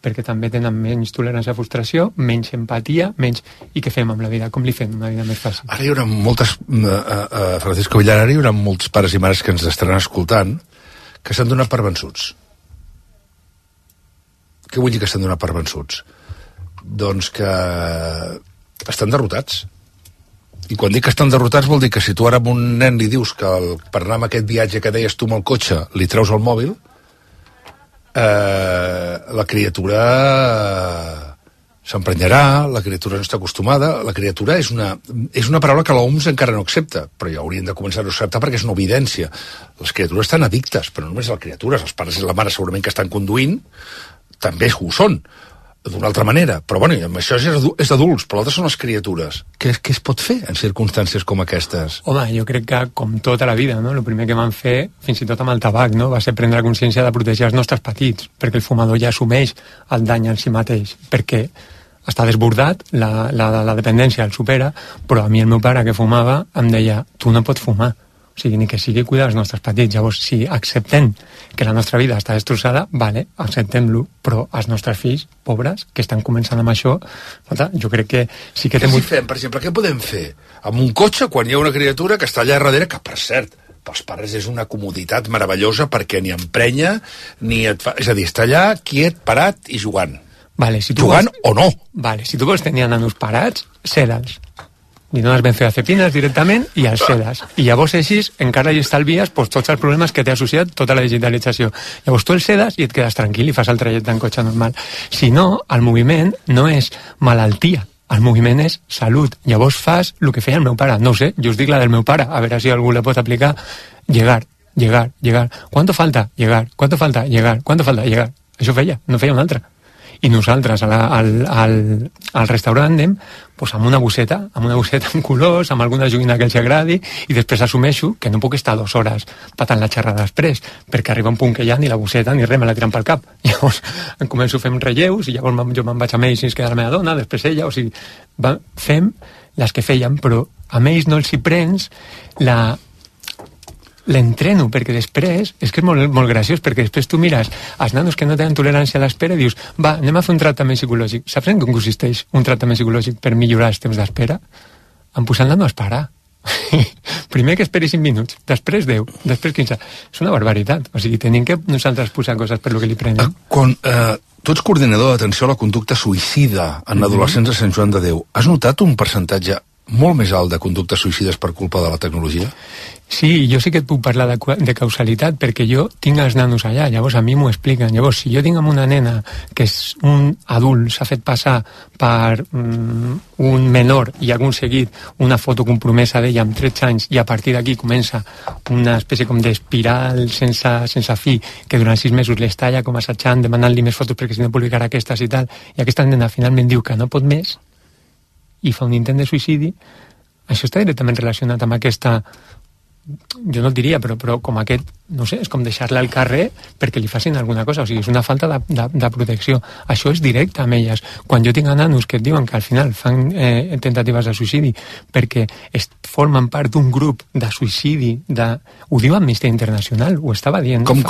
Speaker 1: Perquè també tenen menys tolerància a frustració, menys empatia, menys... I què fem amb la vida? Com li fem una vida més fàcil?
Speaker 7: Ara hi haurà moltes... Francisco Villar, ara hi haurà molts pares i mares que ens estaran escoltant que s'han donat per vençuts. Què vull dir que s'han donat per vençuts? Doncs que estan derrotats. I quan dic que estan derrotats vol dir que si tu ara a un nen li dius que per anar amb aquest viatge que deies tu amb el cotxe li treus el mòbil, la criatura s'emprenyarà, la criatura no està acostumada, la criatura és una paraula que l'OMS encara no accepta, però ja haurien de començar a acceptar perquè és una evidència. Les criatures estan addictes, però no només les criatures, els pares i la mare segurament que estan conduint també ho són, d'una altra manera, però bueno, això és d'adults, però l'altre són les criatures. Què es pot fer en circumstàncies com aquestes?
Speaker 1: Home, jo crec que com tota la vida, no? El primer que van fer, fins i tot amb el tabac, no? Va ser prendre consciència de protegir els nostres petits, perquè el fumador ja assumeix el dany en si mateix, perquè està desbordat, la dependència el supera, però a mi el meu pare que fumava em deia, tu no pots fumar, o sigui, ni que sigui cuidar els nostres petits. Llavors, si acceptem que la nostra vida està destrossada, vale, acceptem-lo, però els nostres fills, pobres, que estan començant amb això, jo crec que sí que...
Speaker 7: Què fem, per exemple? Què podem fer? Amb un cotxe, quan hi ha una criatura que està allà darrere, que, per cert, pels pares és una comoditat meravellosa perquè ni emprenya, ni et fa... És a dir, està allà, quiet, parat i jugant.
Speaker 1: Vale, si tu
Speaker 7: jugant o no.
Speaker 1: Vale, si tu vols tenir nanos parats, ceda'ls. li dones benzodiazepines directament i els sedes. I llavors així encara hi estalvies tots els problemes que t'ha associat tota la digitalització. Llavors tu els sedes i et quedes tranquil i fas el trajecte en cotxe normal. Si no, el moviment no és malaltia, el moviment és salut. Llavors fas el que feia el meu pare. No ho sé, jo us dic la del meu pare, a veure si algú la pot aplicar. Llegar. ¿Cuánto falta? Llegar. ¿Cuánto falta? Llegar. ¿Cuánto falta? Llegar. Això feia, no feia un altre. I nosaltres al restaurant anem amb una bosseta amb colors, amb alguna joguina que els agradi, i després assumeixo que no puc estar 2 hores patant la xerrada després, perquè arriba un punt que ja ni la bosseta ni res me la tiren pel cap. Llavors em començo a fer relleus i llavors jo me'n vaig amb ells i es queda la meva dona, després ella, o sigui, fem les que fèiem, però a ells no els hi prens l'entreno, perquè després és que és molt graciós, perquè després tu mires els nanos que no tenen tolerància a l'espera i dius, va, anem a fer un tractament psicològic. Saps en què consisteix un tractament psicològic per millorar els temps d'espera? En posar el nano a esperar. Primer que esperi 5 minuts, després 10, després 15. És una barbaritat. O sigui, tenim que nosaltres posar coses per lo que li prenem.
Speaker 7: Quan tu ets coordinador d'atenció a la conducta suïcida en adolescents de Sant Joan de Déu, has notat un percentatge molt més alt de conductes suïcides per culpa de la tecnologia?
Speaker 1: Sí, jo sí que et puc parlar de causalitat, perquè jo tinc els nanos allà, llavors a mi m'ho expliquen. Llavors, si jo tinc amb una nena que és un adult, s'ha fet passar per un menor i ha aconseguit una foto compromesa d'ella amb 13 anys i a partir d'aquí comença una espècie com d'espiral sense fi, que durant 6 mesos l'estalla com assajant, demanant-li més fotos perquè si no publicarà aquestes i tal, i aquesta nena finalment diu que no pot més i fa un intent de suïcidi, això està directament relacionat amb aquesta, jo no et diria, però com aquest, no sé, és com deixar-la al carrer perquè li facin alguna cosa, o sigui, és una falta de protecció. Això és directe amb elles. Quan jo tinc nanos que et diuen que al final fan tentatives de suïcidi perquè formen part d'un grup de suïcidi, ho diu Amnistia Internacional, ho estava dient.
Speaker 7: Com?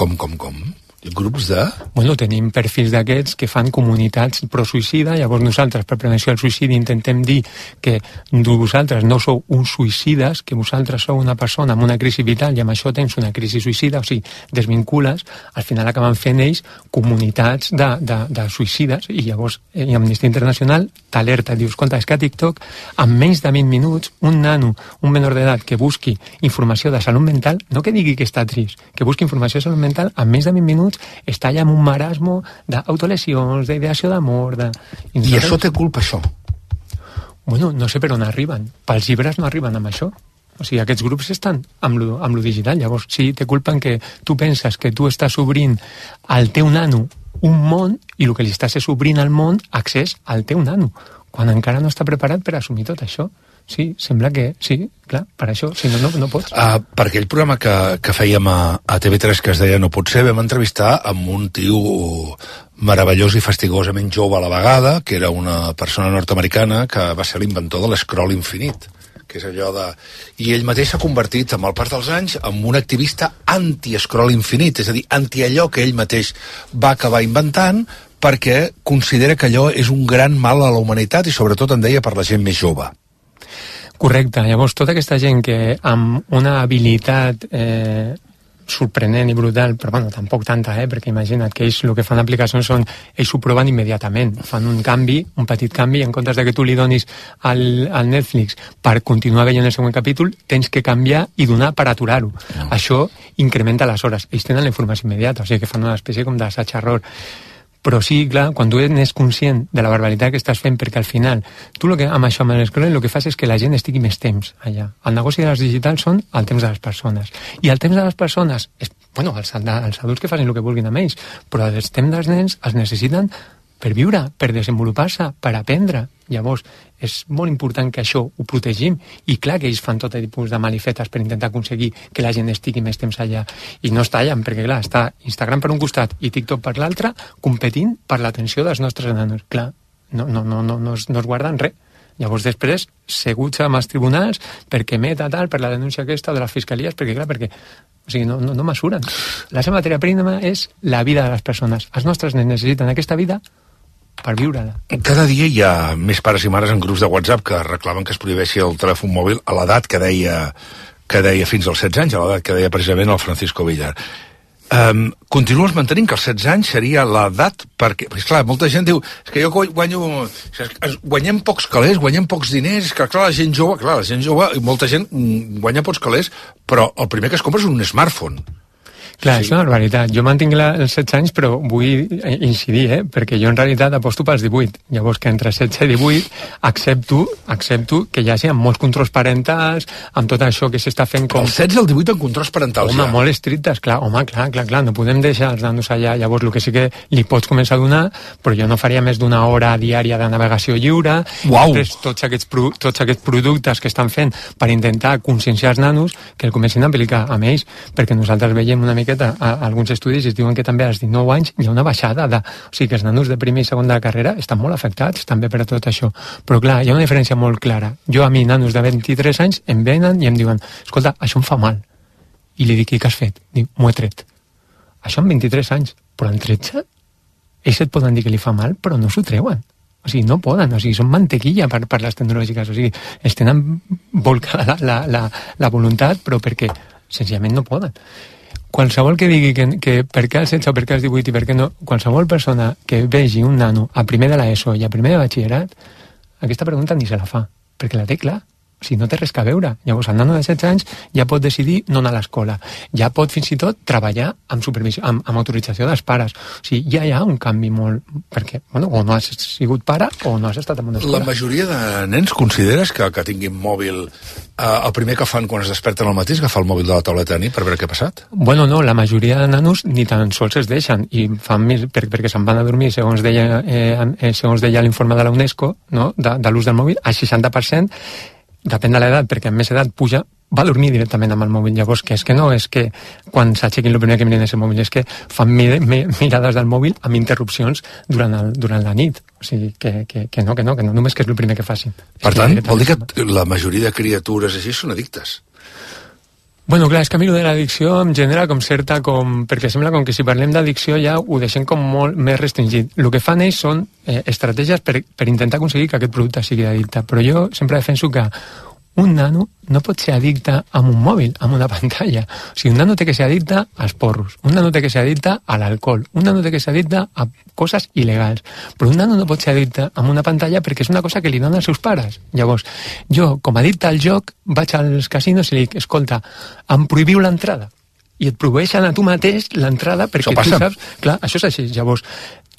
Speaker 7: Grups de?
Speaker 1: Bueno, tenim perfils d'aquests que fan comunitats pro-suïcida, llavors nosaltres per prevenció del suïcidi intentem dir que vosaltres no sou uns suïcides, que vosaltres sou una persona amb una crisi vital i amb això tens una crisi suïcida, o sigui, desvincules, al final acaben fent ells comunitats de suïcides i llavors Amnistia Internacional t'alerta, dius, escolta, és que a TikTok en menys de 20 minuts un nano, un menor d'edat que busqui informació de salut mental, no que digui que està trist, que busqui informació de salut mental, en menys de 20 minuts està allà amb un marasmo d'autolesions, d'ideació d'amor...
Speaker 7: I això té culpa, això?
Speaker 1: Bueno, no sé per on arriben. Pels llibres no arriben amb això. O sigui, aquests grups estan amb lo digital. Llavors, sí, té culpa en que tu penses que tu estàs obrint al teu nano un món i el que li estàs és obrint al món accés al teu nano, quan encara no està preparat per assumir tot això. Sí, sembla que sí, clar, per això, si no pots.
Speaker 7: Per aquell programa que fèiem a TV3 que es deia No pot ser, vam entrevistar amb un tio meravellós i fastigosament jove a la vegada, que era una persona nord-americana que va ser l'inventor de l'escroll infinit, que és allò de... I ell mateix s'ha convertit, amb el pas dels anys, en un activista anti-escroll infinit, és a dir, anti allò que ell mateix va acabar inventant, perquè considera que allò és un gran mal a la humanitat i sobretot en deia per la gent més jove.
Speaker 1: Correcte, llavors tota aquesta gent que amb una habilitat sorprenent i brutal, però bueno, tampoc tanta, perquè imagina't que ells el que fan aplicacions són, ells ho proven immediatament, fan un canvi, un petit canvi, en comptes de que tu li donis al Netflix per continuar veient el següent capítol, tens que canviar i donar per aturar-ho. Això incrementa les hores, ells tenen la informació immediata, o sigui que fan una espècie com d'assaig-error. Però sí, clar, quan tu n'és conscient de la barbaritat que estàs fent, perquè al final, tu amb això, amb l'escroll, el que fas és que la gent estigui més temps allà. El negoci de les digitals són el temps de les persones. I el temps de les persones, bueno, els adults que facin el que vulguin amb ells, però el temps dels nens els necessiten per viure, per desenvolupar-se, per aprendre. Llavors, és molt important que això ho protegim, i clar que ells fan tot tipus de malifetes per intentar aconseguir que la gent estigui més temps allà, i no es tallen, perquè clar, està Instagram per un costat i TikTok per l'altre, competint per l'atenció dels nostres nanos. Clar, no es guarden res. Llavors després, seguts amb els tribunals, perquè Meta tal, per la denúncia aquesta de les fiscalies, perquè clar, o sigui, no mesuren. La seva matèria prima és la vida de les persones. Els nostres nens necessiten aquesta vida per viure-la.
Speaker 7: Cada dia hi ha més pares i mares en grups de WhatsApp que reclamen que es prohibeixi el telèfon mòbil a l'edat que deia fins als 16 anys, a l'edat que deia precisament el Francisco Villar. continues mantenint que els 16 anys seria l'edat perquè clar, molta gent diu és que jo guanyem pocs calés, guanyem pocs diners, que clar, la gent jove i molta gent guanya pocs calés, però el primer que es compra és un smartphone.
Speaker 1: Clar, és una barbaritat. Jo mantinc els 16 anys, però vull incidir, perquè jo en realitat aposto pels 18. Llavors que entre 16 i 18 accepto que hi hagi molts controls parentals, amb tot això que s'està fent com...
Speaker 7: El 16 i el 18 en controls parentals,
Speaker 1: ja. Molt estrictes, clar, no podem deixar els nanos allà. Llavors el que sí que li pots començar a donar, però jo no faria més d'una hora diària de navegació lliure.
Speaker 7: Uau!
Speaker 1: Tots aquests productes que estan fent per intentar conscienciar els nanos que el comencin a aplicar amb ells, perquè nosaltres veiem una mica alguns estudis es diuen que també als 19 anys hi ha una baixada o sigui que els nanos de primer i segon de la carrera estan molt afectats també per a tot això, però clar, hi ha una diferència molt clara. Jo a mi, nanos de 23 anys em venen i em diuen, escolta, això em fa mal, i li dic, i què has fet? Diu, m'ho he tret. Això amb 23 anys, però en 13 ells et poden dir que li fa mal, però no s'ho treuen. O sigui, no poden, o sigui, són mantequilla per les tecnològiques, o sigui, es tenen volcada la voluntat, però perquè senzillament no poden. Qualsevol que digui que per què els 16 o per què els 18 i per què no, qualsevol persona que vegi un nano a primer de l'ESO i a primer de batxillerat, aquesta pregunta ni se la fa, perquè la té clar. O sigui, no té res que veure. Llavors, el nano de 16 anys ja pot decidir no anar a l'escola. Ja pot, fins i tot, treballar amb supervisió, amb autorització dels pares. O sigui, ja hi ha un canvi molt... Perquè, bueno, o no has sigut pare o no has estat en una escola.
Speaker 7: La majoria de nens consideres que tinguin mòbil... el primer que fan quan es desperten al matí és agafar el mòbil de la tauleta de nit per veure què ha passat?
Speaker 1: Bueno, no, la majoria de nanos ni tan sols es deixen i fan més perquè se'n van a dormir, segons deia l'informe de la UNESCO, no? de l'ús del mòbil, al 60%, depèn de l'edat, perquè amb més edat puja, va dormir directament amb el mòbil. Llavors, que és que no és que quan s'aixequin el primer que miren és el mòbil, és que fan mirades del mòbil amb interrupcions durant la nit. O sigui, que no només que és el primer que facin.
Speaker 7: Per tant, vol dir que la majoria de criatures així són addictes?
Speaker 1: Bueno, clar, és que a mi de l'addicció em genera com certa perquè sembla com que si parlem d'addicció ja ho deixem com molt més restringit. El que fan ells són estratègies per intentar aconseguir que aquest producte sigui addicte. Però jo sempre defenso que un nano no pot ser addicte a un mòbil, a una pantalla. O sigui, un nano té que ser addicte als porros, un nano té que ser addicte a l'alcohol, un nano té que ser addicte a coses il·legals. Però un nano no pot ser addicte a una pantalla perquè és una cosa que li donen els seus pares. Llavors, jo, com a addicte al joc, vaig als casinos i li dic, escolta, em prohibiu l'entrada. I et prohibeixen a tu mateix l'entrada perquè tu saps... Clar, això és així. Llavors,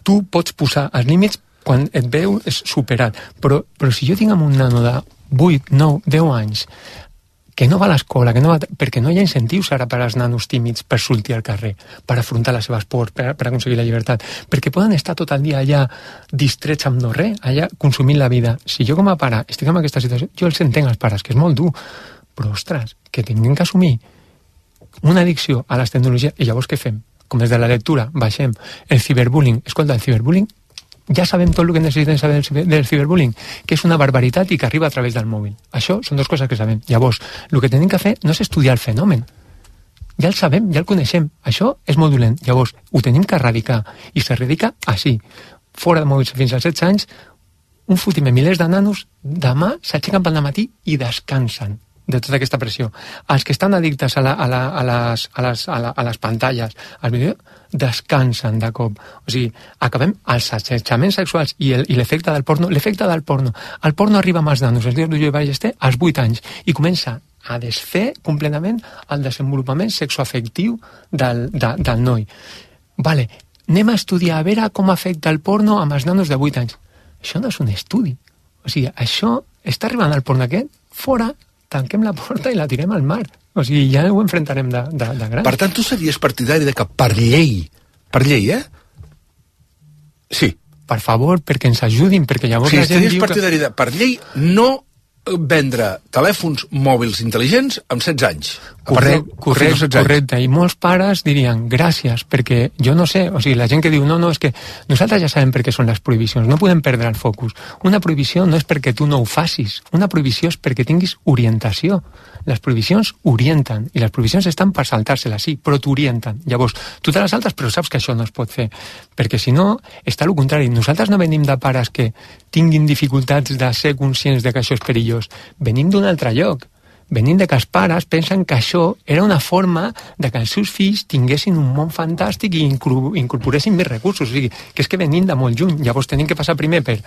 Speaker 1: tu pots posar els límits quan et veu és superat. Però si jo tinc un nano de 8, 9, 10 anys que no va a l'escola, perquè no hi ha incentius ara per als nanos tímids per sortir al carrer, per afrontar les seves pors, per aconseguir la llibertat, perquè poden estar tot el dia allà distrets amb no res, allà consumint la vida. Si jo com a pare estic en aquesta situació, jo els entenc als pares, que és molt dur, però ostres, que tinguin que assumir una addicció a les tecnologies, i llavors què fem? Com des de la lectura, baixem el ciberbullying. Escolta, el ciberbullying ja sabem tot el que necessitem saber del ciberbullying, que és una barbaritat i que arriba a través del mòbil. Això són dues coses que sabem. Llavors, el que tenim que fer no és estudiar el fenomen. Ja el sabem, ja el coneixem. Això és molt dolent. Llavors, ho tenim que erradicar. I s'erradica així. Fora de mòbils fins als 16 anys, un fotimer, milers de nanos, demà s'aixequen pel matí i descansen de tota aquesta pressió. Els que estan addictes a les pantalles, als vídeos, descansen de cop. O sigui, acabem els assetjaments sexuals i l'efecte del porno. L'efecte del porno. El porno arriba amb els nanos, els dies d'Ulló i Ballester, als 8 anys, i comença a desfer completament el desenvolupament sexoafectiu del noi. Vale, anem a estudiar a veure com afecta el porno amb els nanos de 8 anys. Això no és un estudi. O sigui, això està arribant al porno aquest, fora, tanquem la porta i la tirem al mar. O sigui, ja ho enfrontarem de grans.
Speaker 7: Per tant, tu series partidari de que per llei, Sí.
Speaker 1: Per favor, perquè ens ajudin, perquè llavors la gent
Speaker 7: diu que... Sí, partidari de, per llei, no vendre telèfons mòbils intel·ligents amb 16 anys.
Speaker 1: Correcte. I molts pares dirien gràcies, perquè jo no sé, o sigui, la gent que diu no, és que nosaltres ja sabem per què són les prohibicions, no podem perdre el focus. Una prohibició no és perquè tu no ho facis, una prohibició és perquè tinguis orientació. Les prohibicions orienten, i les prohibicions estan per saltar-se-les, sí, però t'orienten. Llavors, tu te les saltes, però saps que això no es pot fer, perquè si no, està el contrari. Nosaltres no venim de pares que tinguin dificultats de ser conscients de que això és perillós. Venim d'un altre lloc. venint de que els pares pensen que això era una forma de que els seus fills tinguessin un món fantàstic i incorporessin més recursos. O sigui, que és que venint de molt lluny. Llavors tenim que passar primer per,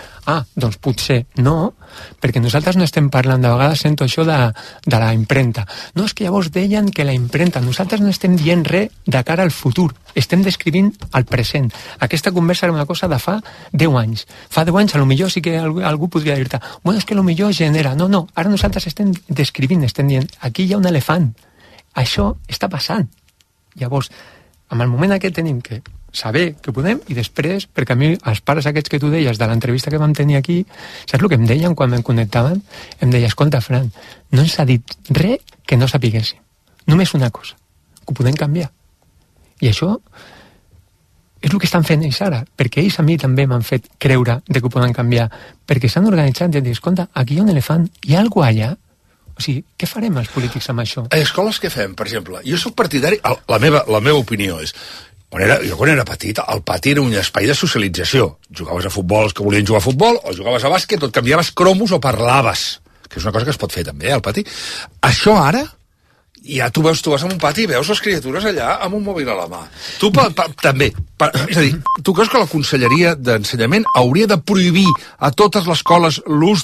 Speaker 1: doncs potser no, perquè nosaltres no estem parlant, de vegades sento això de la impremta. No, és que llavors deien que la impremta, nosaltres no estem dient res de cara al futur, estem descrivint el present. Aquesta conversa era una cosa de fa 10 anys. Fa 10 anys, potser sí que algú podria dir-te, bueno, és que potser genera. No, ara nosaltres estem descrivint, estem dient, aquí hi ha un elefant. Això està passant. Llavors, en el moment aquest tenim que saber que podem, i després, perquè a mi, els pares aquests que tu deies de l'entrevista que vam tenir aquí, saps el que em deien quan em connectaven? Em deia, escolta, Fran, no ens ha dit res que no sapiguéssim. Només una cosa, que ho podem canviar. I això és el que estan fent ells ara, perquè ells a mi també m'han fet creure de que ho poden canviar, perquè s'han organitzat i han dit, escolta, aquí hi ha un elefant, hi ha alguna cosa allà? O sigui, què farem els polítics amb això?
Speaker 7: A escoles què fem, per exemple? Jo soc partidari, la meva opinió és, jo quan era petit, el pati era un espai de socialització. Jugaves a futbol els que volien jugar a futbol, o jugaves a bàsquet, o et canviaves cromos o parlaves, que és una cosa que es pot fer també, al pati. Això ara, ja tu vas en un pati i veus les criatures allà amb un mòbil a la mà. Tu també. És a dir, tu creus que la Conselleria d'Ensenyament hauria de prohibir a totes les escoles l'ús de